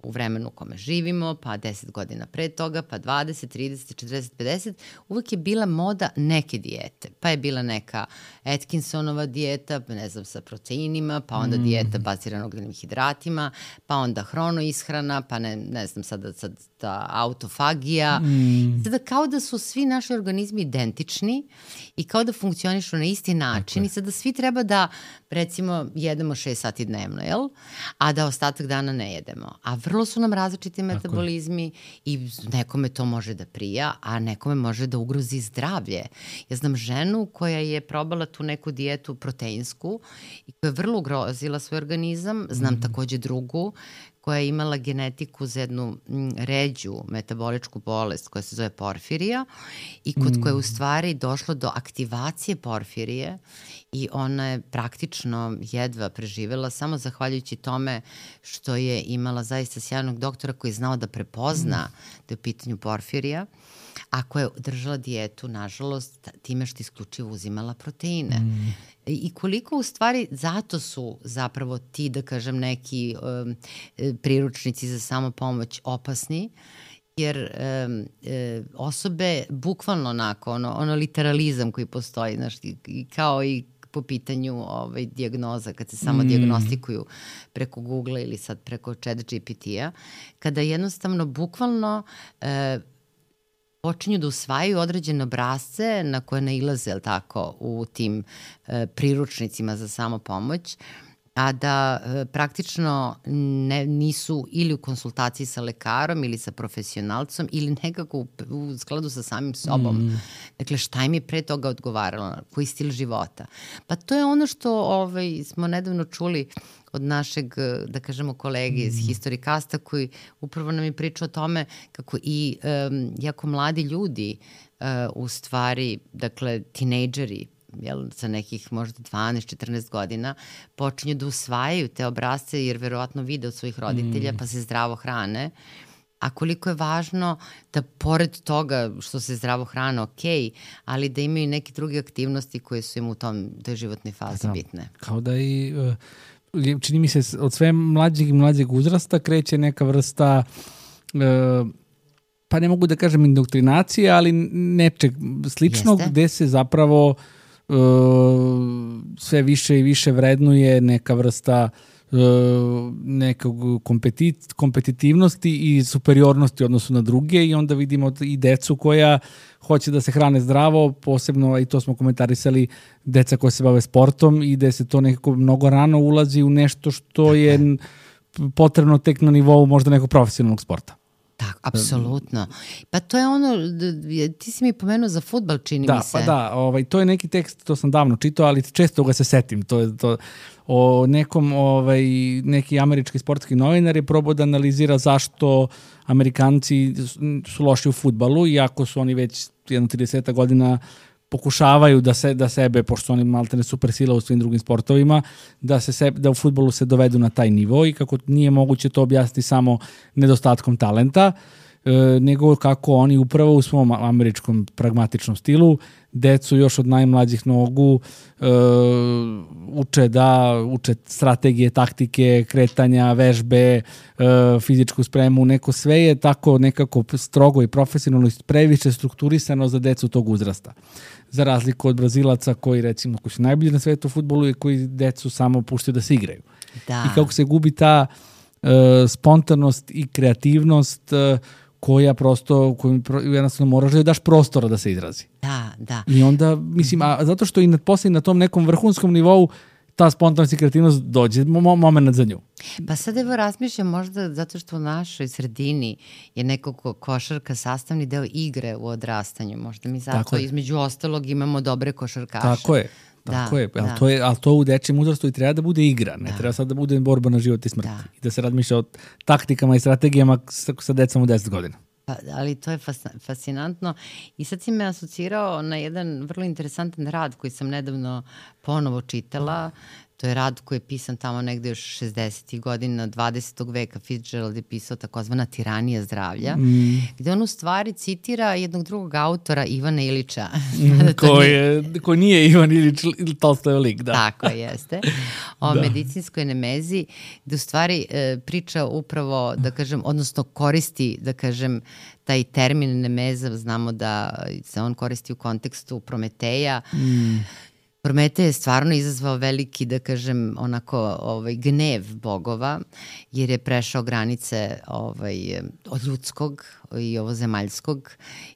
u vremenu u kome živimo, pa deset godina pre toga, pa dvadeset, trideset, četrdeset, pedeset, uvek je bila moda neke dijete. Pa je bila neka Atkinsonova dijeta, ne znam, sa proteinima, pa onda mm. dijeta bazirana ugljenim hidratima, pa onda hronoishrana, pa ne, ne znam, sada, sada ta autofagija. Mm. Sada kao da su svi naši organizmi identični i kao da funkcionišu na isti način okay. i sada svi treba da, recimo, jedemo šest sati dnevno, jel? A da ostatak dana ne jedemo. A vrlo su nam različiti metabolizmi i nekome to može da prija, a nekome može da ugrozi zdravlje. Ja znam ženu koja je probala tu neku dijetu proteinsku i koja je vrlo ugrozila svoj organizam. Znam mm. takođe drugu koja je imala genetiku za jednu m, ređu metaboličku bolest koja se zove porfirija i kod mm. koje u stvari došlo do aktivacije porfirije i ona je praktično jedva preživela samo zahvaljujući tome što je imala zaista sjajnog doktora koji je znao da prepozna mm. da je u pitanju porfirija, a koja je držala dijetu, nažalost, time što isključivo uzimala proteine. Mm. I koliko u stvari zato su zapravo ti, da kažem, neki um, priručnici za samopomoć opasni, jer um, um, osobe bukvalno onako, ono, ono literalizam koji postoji, znaš, i, kao i po pitanju ovaj, dijagnoza, kad se samo mm. dijagnostikuju preko Google ili sad preko Chat G P T-a, kada jednostavno bukvalno e, počinju da usvajaju određene obrazce na koje nailaze, jel tako, u tim e, priručnicima za samopomoć, a da e, praktično ne, nisu ili u konsultaciji sa lekarom ili sa profesionalcom ili nekako u, u skladu sa samim sobom. Mm. Dakle, šta im je pre toga odgovaralo, koji stil života. Pa to je ono što ovaj, smo nedavno čuli od našeg, da kažemo, kolege iz mm. Historikasta koji upravo nam je pričao o tome kako i um, jako mladi ljudi uh, u stvari, dakle, tinejdžeri, jel, sa nekih možda dvanaest četrnaest godina, počinju da usvajaju te obrazce jer verovatno vide od svojih roditelja mm. pa se zdravo hrane. A koliko je važno da pored toga što se zdravo hrane, ok, ali da imaju neke druge aktivnosti koje su im u tom, toj životnoj fazi da, bitne. Kao da i... Uh... čini mi se od sve mlađeg i mlađeg uzrasta kreće neka vrsta pa ne mogu da kažem indoktrinacije, ali nečeg sličnog. Jeste. Gde se zapravo uh, sve više i više vrednuje neka vrsta uh, nekog kompetit, kompetitivnosti i superiornosti u odnosu na druge i onda vidimo i decu koja hoće da se hrane zdravo, posebno, i to smo komentarisali, deca koja se bave sportom i gde se to nekako mnogo rano ulazi u nešto što je potrebno tek na nivou možda nekog profesionalnog sporta. Tako, apsolutno. Pa to je ono, ti si mi pomenuo za fudbal, čini da, mi se. Pa da, ovaj, to je neki tekst, to sam davno čitao, ali često ga se setim. To je to, o nekom, ovaj, neki američki sportski novinar je probao da analizira zašto Amerikanci su loši u fudbalu, iako su oni već jedno trideset godina pokušavaju da se da sebe, pošto oni maltene supersila u svim drugim sportovima, da se sebe, da u fudbalu se dovedu na taj nivo i kako nije moguće to objasniti samo nedostatkom talenta, e, nego kako oni upravo u svom američkom pragmatičnom stilu decu još od najmlađih nogu e, uče da uče strategije, taktike, kretanja, vežbe, e, fizičku spremu, neko sve je tako nekako strogo i profesionalno previše strukturisano za decu tog uzrasta. Za razliku od Brazilaca koji, recimo, koji su najbolji na svetu u fudbalu i koji decu samo puštaju da se igraju. Da. I kako se gubi ta uh, spontanost i kreativnost uh, koja prosto, koju jednostavno moraš da daš prostora da se izrazi. Da, da. I onda, mislim, a zato što i na, poslije na tom nekom vrhunskom nivou ta spontanost i kreativnost dođe mo- moment za nju. Pa sad evo razmišljam možda zato što u našoj sredini je nekako košarka sastavni deo igre u odrastanju. Možda mi zato između ostalog imamo dobre košarkaše. Tako je. Tako da, je, ali, da. To je, ali to u dečijem uzrastu i treba da bude igra, ne da. Treba sad da bude borba na život i smrt. Da. I da se razmišlja o taktikama i strategijama sa, sa decom u deset godina. Pa, ali to je fas, fascinantno i sad si me asocirao na jedan vrlo interesantan rad koji sam nedavno ponovo čitala. To je rad koji je pisan tamo negde još šezdesetih godina dvadesetog veka. Fitzgerald je pisao takozvana Tiranija zdravlja, mm. gde on u stvari citira jednog drugog autora, Ivana Ilića. Mm, koji, je, koji nije Ivan Ilić, Tolstoj lik, da. Tako jeste. O da. medicinskoj nemezi, gde u stvari e, priča upravo, da kažem, odnosno koristi, da kažem, taj termin nemeza, znamo da se on koristi u kontekstu Prometeja. Mm. Prometej je stvarno izazvao veliki, da kažem, onako ovaj, gnev bogova, jer je prešao granice ovaj, od ljudskog i ovozemaljskog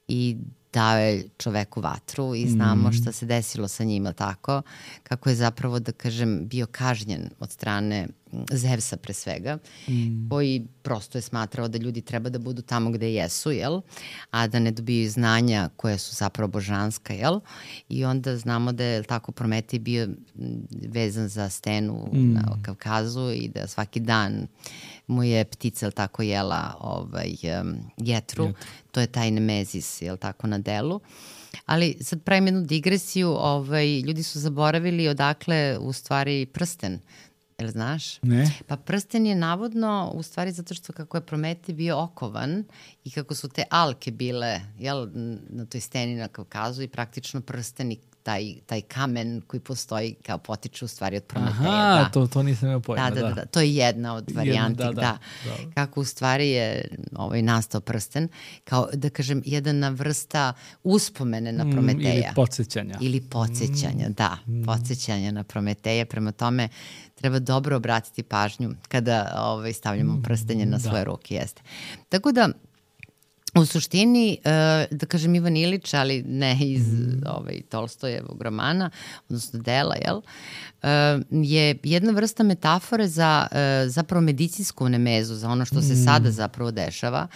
i dao je čoveku vatru i znamo šta se desilo sa njima, tako, kako je zapravo, da kažem, bio kažnjen od strane Zevsa pre svega, mm. koji prosto je smatrao da ljudi treba da budu tamo gde jesu, jel? A da ne dobiju znanja koje su zapravo božanska, jel? I onda znamo da je tako Prometej bio vezan za stenu mm. na Kavkazu i da svaki dan mu je ptica tako jela ovaj, um, jetru. Jetru. To je taj nemezis, jel tako, na delu. Ali sad pravim jednu digresiju, ovaj, ljudi su zaboravili odakle u stvari prsten. Jel znaš? Ne. Pa prsten je navodno, u stvari zato što kako je Prometej bio okovan i kako su te alke bile, jel, na toj steni na Kavkazu i praktično prsten i taj, taj kamen koji postoji kao potiče u stvari od Prometeja. Aha, da. to, to nisam imao pojma. Da, da, da, da. To je jedna od varijanti, jedna, da, da, da. da. Kako u stvari je ovaj, nastao prsten, kao da kažem jedna vrsta uspomene na Prometeja. Mm, ili podsjećanja. Ili podsjećanja, mm. da, mm. podsjećanja na Prometeja, prema tome treba dobro obratiti pažnju kada ovaj, stavljamo prstenje na svoje da. ruke, jeste. Tako da, u suštini, da kažem Ivan Ilić, ali ne iz mm. ovaj, Tolstojevog romana, odnosno dela, jel, je jedna vrsta metafore za zapravo medicinsku nemezu, za ono što se mm. sada zapravo dešava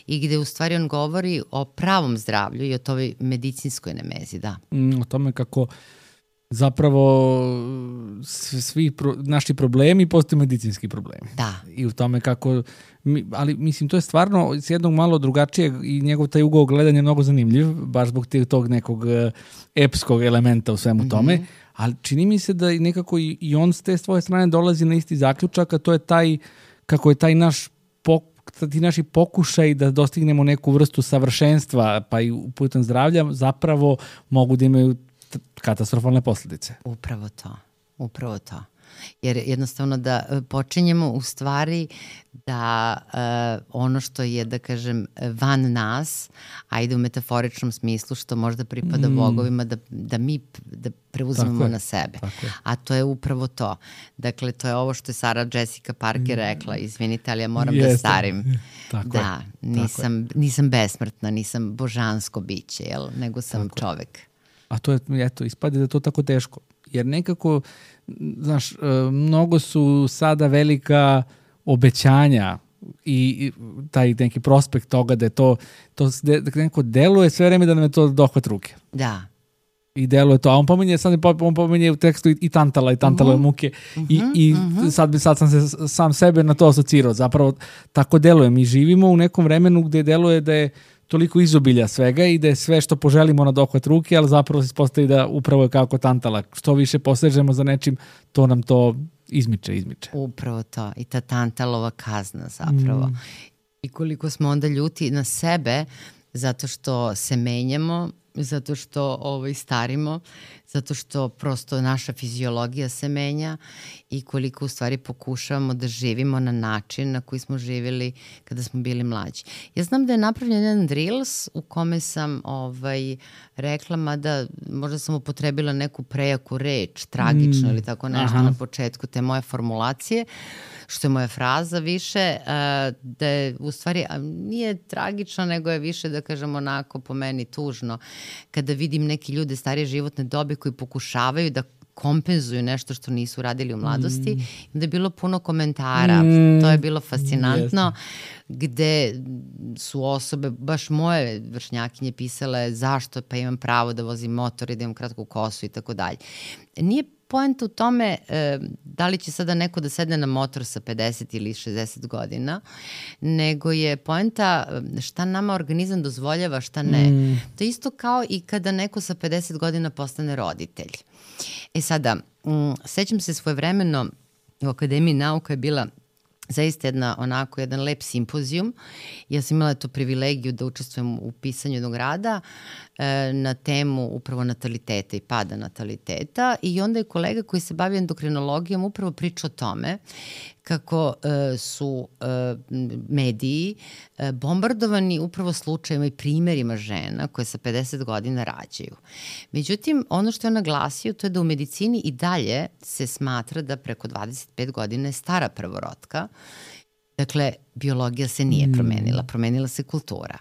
i gde u stvari on govori o pravom zdravlju i o toj medicinskoj nemezi, da. Mm, o tome kako zapravo svi pro, naši problemi postaju medicinski problemi. Da. I u tome kako, ali mislim to je stvarno s jednog malo drugačijeg i njegov taj ugao gledanja je mnogo zanimljiv, baš zbog tog nekog epskog elementa u svemu tome, mm-hmm. ali čini mi se da nekako i on s te svoje strane dolazi na isti zaključak, a to je taj, kako je taj naš pok, ti naši pokušaj da dostignemo neku vrstu savršenstva, pa i putem zdravlja, zapravo mogu da imaju katastrofalne posljedice. Upravo to, upravo to. Jer jednostavno da počinjemo u stvari da uh, ono što je, da kažem, van nas, ajde u metaforičnom smislu, što možda pripada mm. bogovima, da, da mi da preuzmemo na sebe. A to je upravo to. Dakle, to je ovo što je Sarah Jessica Parker rekla, izvinite, ali ja moram Jeste. da starim. Tako da, nisam, nisam besmrtna, nisam božansko biće, jel? Nego sam tako čovek. A to je, eto, ispade da je to tako teško. Jer nekako, znaš, mnogo su sada velika obećanja i taj neki prospekt toga da je to, to neko deluje sve vreme da nam je to dohvat ruke. Da. I deluje to, a on pominje, sad on pominje u tekstu i, i tantala i tantalove uh-huh. muke uh-huh. i, i uh-huh. sad, sad sam se sam sebe na to asocirao. Zapravo tako deluje. Mi živimo u nekom vremenu gde deluje da je toliko izobilja svega i da je sve što poželimo na dohvat ruke, ali zapravo se ispostavi da upravo je kako tantala. Što više posežemo za nečim, to nam to izmiče, izmiče. Upravo to. I ta tantalova kazna zapravo. Mm. I koliko smo onda ljuti na sebe zato što se menjamo, zato što ovaj, starimo, zato što prosto naša fiziologija se menja i koliko u stvari pokušavamo da živimo na način na koji smo živjeli kada smo bili mlađi. Ja znam da je napravljen jedan Reels u kome sam ovaj, rekla, mada možda sam upotrebila neku prejaku reč, tragično mm. ili tako nešto Aha. na početku te moje formulacije, što je moja fraza više, da je u stvari nije tragično, nego je više, da kažem onako po meni tužno, kada vidim neki ljude starije životne dobe koji pokušavaju da kompenzuju nešto što nisu radili u mladosti. Mm. Da je bilo puno komentara, mm. to je bilo fascinantno, yes. gde su osobe, baš moje vršnjakinje pisale zašto, pa imam pravo da vozim motor i da imam kratku kosu i tako dalje. Nije poenta u tome e, da li će sada neko da sedne na motor sa pedeset ili šezdeset godina, nego je poenta šta nama organizam dozvoljava, šta ne. Mm. To je isto kao i kada neko sa pedeset godina postane roditelj. E sada, m, sećam se svojevremeno u Akademiji nauka je bila zaista jedna, onako, jedan lep simpozijum. Ja sam imala tu privilegiju da učestvujem u pisanju jednog rada e, na temu upravo nataliteta i pada nataliteta i onda je kolega koji se bavi endokrinologijom upravo pričao o tome kako e, su e, mediji e, bombardovani upravo slučajima i primjerima žena koje sa pedeset godina rađaju. Međutim, ono što je naglasio to je da u medicini i dalje se smatra da preko dvadeset pet godina je stara prvorotka. Dakle, biologija se nije promenila, promenila se kultura.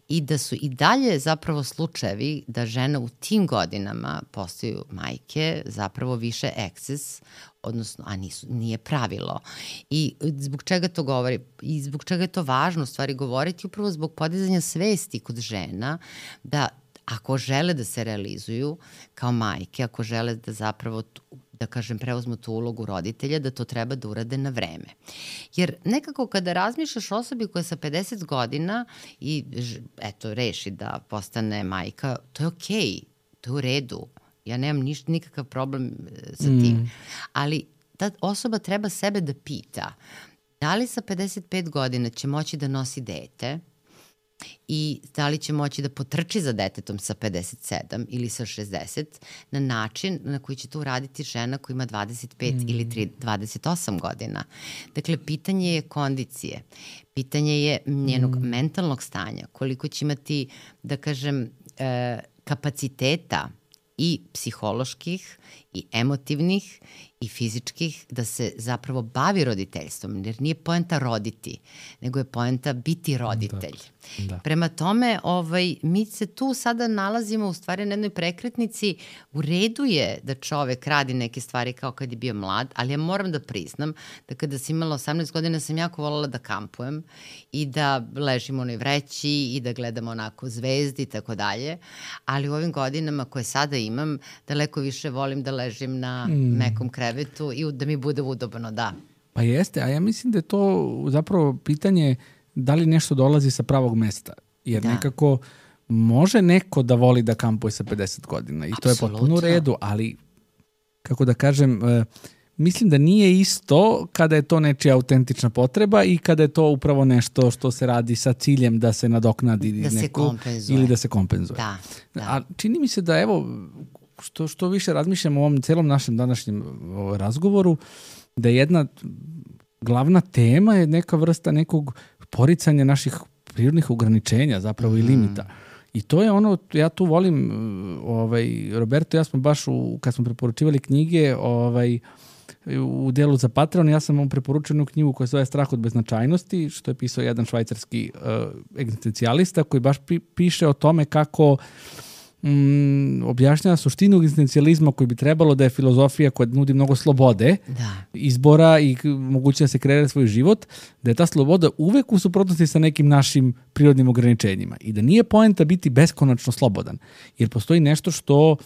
I da su i dalje zapravo slučajevi da žena u tim godinama postaju majke, zapravo više eksces, odnosno, a nisu, nije pravilo. I zbog čega to govori? I zbog čega je to važno u stvari govoriti? Upravo zbog podizanja svesti kod žena da ako žele da se realizuju kao majke, ako žele da zapravo, da kažem, preuzmu tu ulogu roditelja, da to treba da urade na vreme. Jer nekako kada razmišljaš o osobi koja je sa pedeset godina i eto, reši da postane majka, to je okej, okay, to je u redu. Ja nemam niš, nikakav problem sa tim. Mm. Ali ta osoba treba sebe da pita da li sa pedeset pet godina će moći da nosi dete i da li će moći da potrči za detetom sa pedeset sedam ili sa šezdeset na način na koji će to uraditi žena koja ima dvadeset pet mm. ili dvadeset osam godina. Dakle, pitanje je kondicije, pitanje je njenog mm. mentalnog stanja, koliko će imati, da kažem, e, kapaciteta i psiholoških i emotivnih i fizičkih da se zapravo bavi roditeljstvom, jer nije poenta roditi, nego je poenta biti roditelj. Da, da. Prema tome, ovaj, mi se tu sada nalazimo u stvari na jednoj prekretnici. U redu je da čovek radi neke stvari kao kad je bio mlad, ali ja moram da priznam da kada sam imala osamnaest godina sam jako voljela da kampujem i da ležim u onoj vreći i da gledam onako zvezdi i tako dalje, ali u ovim godinama koje sada imam, daleko više volim da ležim na mm. mekom krevetu i da mi bude udobno, da. Pa jeste, a ja mislim da je to zapravo pitanje da li nešto dolazi sa pravog mesta. Jer da. nekako može neko da voli da kampuje sa pedeset godina i Absolutno. To je potpuno u redu, ali kako da kažem, mislim da nije isto kada je to nečija autentična potreba i kada je to upravo nešto što se radi sa ciljem da se nadoknadi da neko, se kompenzuje. Ili da se kompenzuje. Da, da. A čini mi se da evo što, što više razmišljam o ovom celom našem današnjem razgovoru, da je jedna glavna tema je neka vrsta nekog poricanja naših prirodnih ograničenja zapravo mm. i limita. I to je ono, ja tu volim, ovaj, Roberto, ja smo baš, u, kad smo preporučivali knjige, ovaj, u delu za Patreon, ja sam vam preporučio jednu knjigu koja se zove Strah od beznačajnosti, što je pisao jedan švajcarski uh, egzistencijalista koji baš pi, piše o tome kako mm, objašnjava suštinu egzistencijalizma koji bi trebalo da je filozofija koja nudi mnogo slobode, da. izbora i moguće da se kreira svoj život, da je ta sloboda uvek u suprotnosti sa nekim našim prirodnim ograničenjima i da nije poenta biti beskonačno slobodan, jer postoji nešto što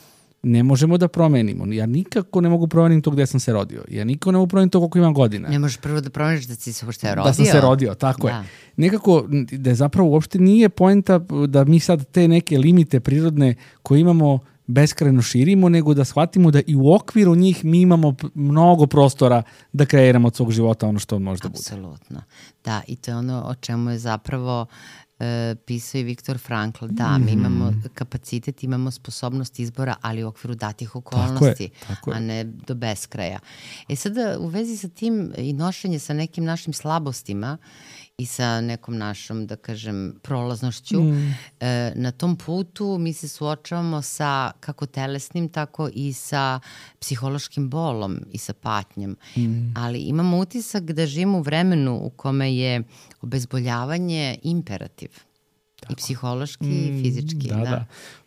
ne možemo da promenimo. Ja nikako ne mogu promeniti to gde sam se rodio. Ja nikako ne mogu promeniti to koliko imam godina. Ne možeš prvo da promeniš da si se uopšte rodio. Da sam se rodio, tako da. je. Nekako, da je zapravo uopšte nije poenta da mi sad te neke limite prirodne koje imamo beskrajno širimo, nego da shvatimo da i u okviru njih mi imamo mnogo prostora da kreiramo od svog života ono što on može da bude. Apsolutno. Da, i to je ono o čemu je zapravo Uh, pisao i Viktor Frankl, da, mm. mi imamo kapacitet, imamo sposobnost izbora, ali u okviru datih okolnosti, tako je, tako je. A ne do beskraja. E sada, u vezi sa tim i nošenje sa nekim našim slabostima i sa nekom našom, da kažem, prolaznošću, mm. uh, na tom putu mi se suočavamo sa kako telesnim, tako i sa psihološkim bolom i sa patnjom. Mm. Ali imamo utisak da živimo u vremenu u kome je obezboljavanje imperativ. Tako. I psihološki mm, i fizički. Da, da. da.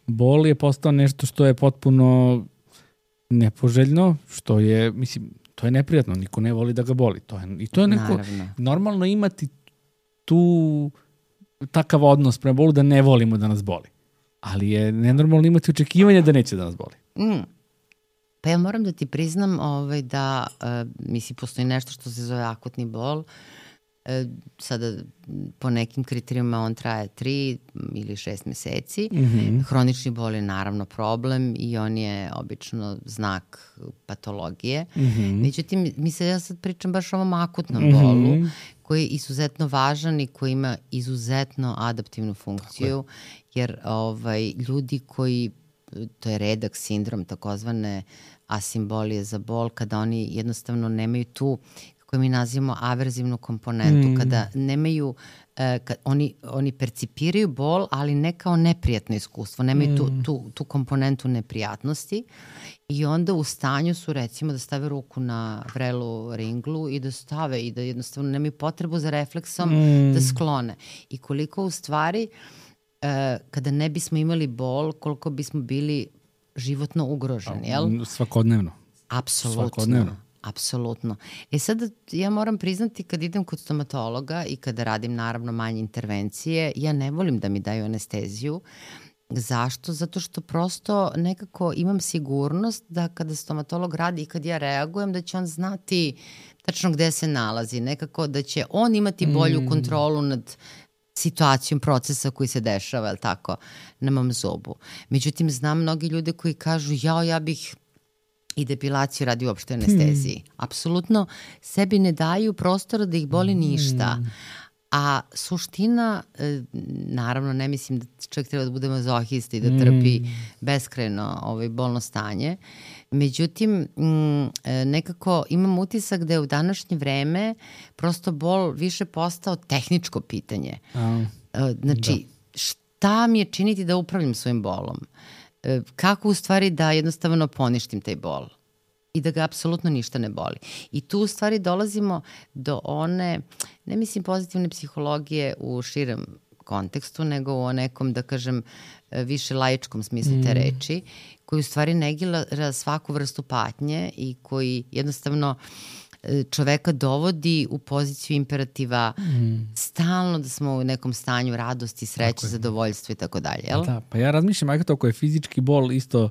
Bol je postao nešto što je potpuno nepoželjno, što je, mislim, to je neprijatno, niko ne voli da ga boli. To je, i to je neko, Naravno. normalno imati tu takav odnos prema bolu da ne volimo da nas boli. Ali je nenormalno imati očekivanje da neće da nas boli. Mm. Pa ja moram da ti priznam ovaj, da, uh, misli, postoji nešto što se zove akutni bol. E, sada po nekim kriterijima on traje tri ili šest meseci. Mm-hmm. Hronični bol je naravno problem i on je obično znak patologije. Mm-hmm. Međutim, mi se ja sad pričam baš o ovom akutnom mm-hmm. bolu koji je izuzetno važan i koji ima izuzetno adaptivnu funkciju, jer ovaj, ljudi koji, to je redak sindrom, takozvane asimbolije za bol, kada oni jednostavno nemaju tu koju mi nazivamo averzivnu komponentu, mm. kada nemaju, eh, kad oni, oni percipiraju bol, ali ne kao neprijatno iskustvo, nemaju mm. tu, tu, tu komponentu neprijatnosti i onda u stanju su recimo da stave ruku na vrelu ringlu i da stave i da jednostavno nemaju potrebu za refleksom mm. da sklone. I koliko u stvari, eh, kada ne bismo imali bol, koliko bismo bili životno ugroženi, jel? Svakodnevno. Apsolutno. Svakodnevno. Apsolutno. E sad ja moram priznati kad idem kod stomatologa i kada radim naravno manje intervencije, ja ne volim da mi daju anesteziju. Zašto? Zato što prosto nekako imam sigurnost da kada stomatolog radi i kad ja reagujem da će on znati tačno gde se nalazi. Nekako da će on imati bolju mm. kontrolu nad situacijom procesa koji se dešava, je li tako, na mom zubu. Međutim, znam mnogi ljude koji kažu jao, ja bih i depilaciju radi uopšte anesteziji. Hmm. Apsolutno sebi ne daju prostora da ih boli ništa. Hmm. A suština, naravno ne mislim da čovjek treba da bude mazohista i da trpi hmm. beskrajno ovaj, bolno stanje. Međutim, nekako imam utisak da je u današnje vreme prosto bol više postao tehničko pitanje. A, znači, da. šta mi je činiti da upravljam svojim bolom? Kako u stvari da jednostavno poništim taj bol i da ga apsolutno ništa ne boli. I tu u stvari dolazimo do one, ne mislim pozitivne psihologije u širem kontekstu, nego u nekom, da kažem, više laičkom smislu te reči, koji u stvari negira svaku vrstu patnje i koji jednostavno čoveka dovodi u poziciju imperativa mm. stalno da smo u nekom stanju radosti, sreće, zadovoljstva i tako dalje, jel? Da, pa ja razmišljam, ajde to ako je fizički bol isto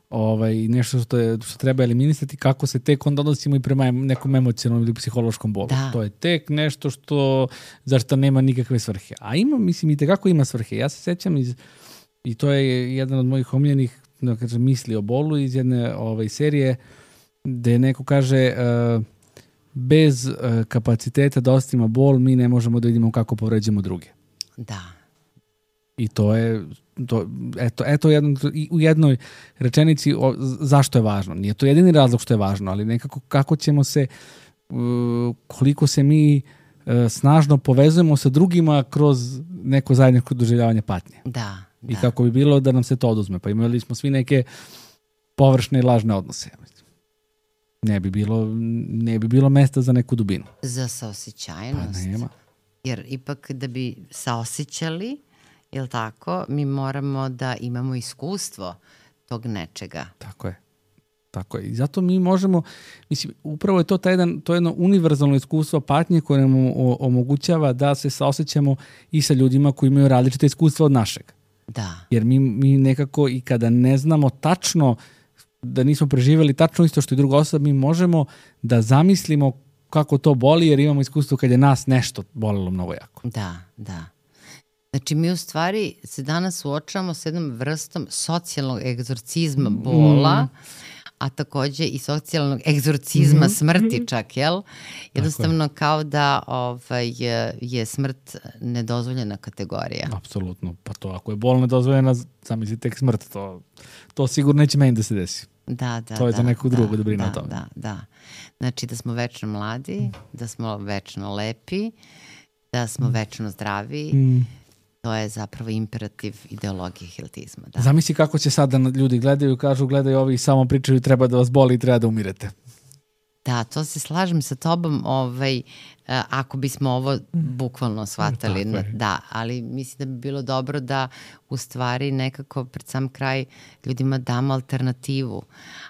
ovaj, nešto što, je, što treba eliminisati, kako se tek onda odnosimo i prema nekom emocionalnom ili psihološkom bolu. Da. To je tek nešto što, zašto nema nikakve svrhe. A ima, mislim, i tekako ima svrhe. Ja se sećam iz, i to je jedan od mojih omiljenih, da kažem, misli o bolu iz jedne ovaj, serije, gde neko kaže uh, bez uh, kapaciteta da ostavimo bol, mi ne možemo da vidimo kako povređujemo druge. Da. I to je, to, eto, eto jedno, u jednoj rečenici o, zašto je važno. Nije to jedini razlog što je važno, ali nekako kako ćemo se, koliko se mi snažno povezujemo sa drugima kroz neko zajedničko doživljavanje patnje. Da, I da. kako bi bilo da nam se to oduzme. Pa imali smo svi neke površne i lažne odnose. Ne bi bilo, ne bi bilo mesta za neku dubinu. Za saosećajnost. Pa nema. Jer ipak da bi saosećali, jel tako, mi moramo da imamo iskustvo tog nečega. Tako je. Tako je. I zato mi možemo, mislim, upravo je to taj jedan, to je jedno univerzalno iskustvo patnje koje nam omogućava da se saosećamo i sa ljudima koji imaju različite iskustva od našeg. Da. Jer mi, mi nekako i kada ne znamo tačno, da nismo preživjeli tačno isto što i druga osoba, mi možemo da zamislimo kako to boli jer imamo iskustvo kad je nas nešto bolilo mnogo jako. Da, da. Znači mi u stvari se danas suočavamo s jednom vrstom socijalnog egzorcizma bola, mm. a takođe i socijalnog egzorcizma mm. smrti čak, jel? Jednostavno kao da ovaj, je, je smrt nedozvoljena kategorija. Apsolutno. Pa to ako je bol nedozvoljena, zamisli tek smrt. To, to sigurno neće meni da se desi. Da, da, to je da, za nekog da, drugog da brine da, o tome. Da, da. Znači da smo večno mladi, da smo večno lepi, da smo mm. večno zdravi. Mm. To je zapravo imperativ ideologije healthizma. Da. Zamisli kako će sada ljudi gledaju i kažu gledaju ovi i samo pričaju treba da vas boli i treba da umirete. Da, to se slažem sa tobom, ovaj, ako bismo ovo bukvalno shvatali. Na, da, ali mislim da bi bilo dobro da u stvari nekako pred sam kraj ljudima damo alternativu.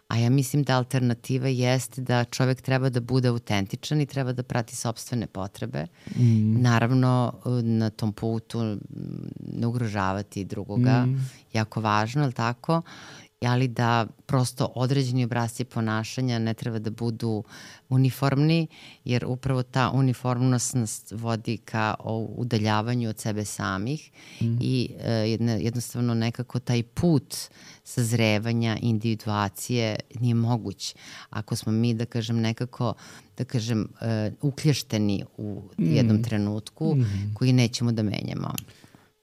A ja mislim da alternativa jeste da čovjek treba da bude autentičan i treba da prati sopstvene potrebe. Mm. Naravno, na tom putu ne ugrožavati drugoga. Mm. Jako važno, ali tako? Ali da prosto određeni obrasci ponašanja ne treba da budu uniformni, jer upravo ta uniformnost nas vodi ka udaljavanju od sebe samih mm. i e, jednostavno nekako taj put sazrevanja, individuacije nije moguć. Ako smo mi, da kažem, nekako, da kažem, e, uklješteni u mm. jednom trenutku mm. koji nećemo da menjamo.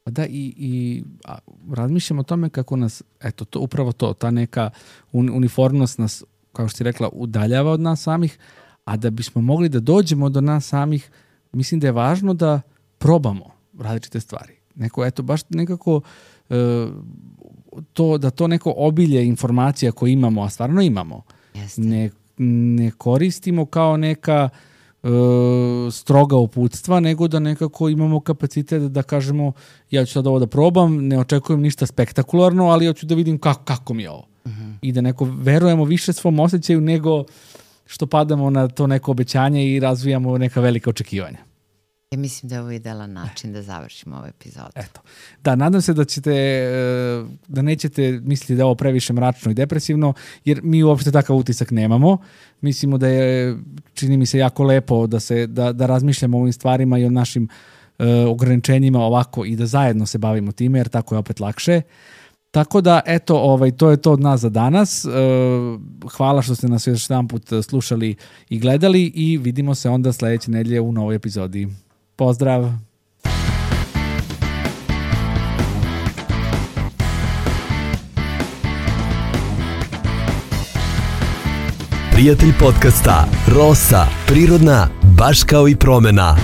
Da, i, i a, razmišljam o tome kako nas, eto, to, upravo to, ta neka un, uniformnost nas, kao što si rekla, udaljava od nas samih, a da bismo mogli da dođemo do nas samih, mislim da je važno da probamo različite stvari. Neko, eto, baš nekako e, to, da to neko obilje informacija koje imamo, a stvarno imamo, ne, ne koristimo kao neka stroga uputstva, nego da nekako imamo kapacitet da kažemo ja ću sad ovo da probam, ne očekujem ništa spektakularno, ali ja ću da vidim kako, kako mi je ovo. Uh-huh. I da neko verujemo više svom osjećaju nego što padamo na to neko obećanje i razvijamo neka velika očekivanja. Ja mislim da je ovo idealan način da završimo ovu epizodu. Eto. Da, nadam se da ćete, da nećete misliti da je ovo previše mračno i depresivno, jer mi uopšte takav utisak nemamo. Mislimo da je, čini mi se, jako lepo da, se, da, da razmišljamo o ovim stvarima i o našim uh, ograničenjima ovako i da zajedno se bavimo time, jer tako je opet lakše. Tako da, eto, ovaj, to je to od nas za danas. Hvala što ste nas još jedan put slušali i gledali i vidimo se onda sledeće nedelje u novoj epizodi. Pozdrav! Prijatelj podcasta Rosa, prirodna, baš kao i promena.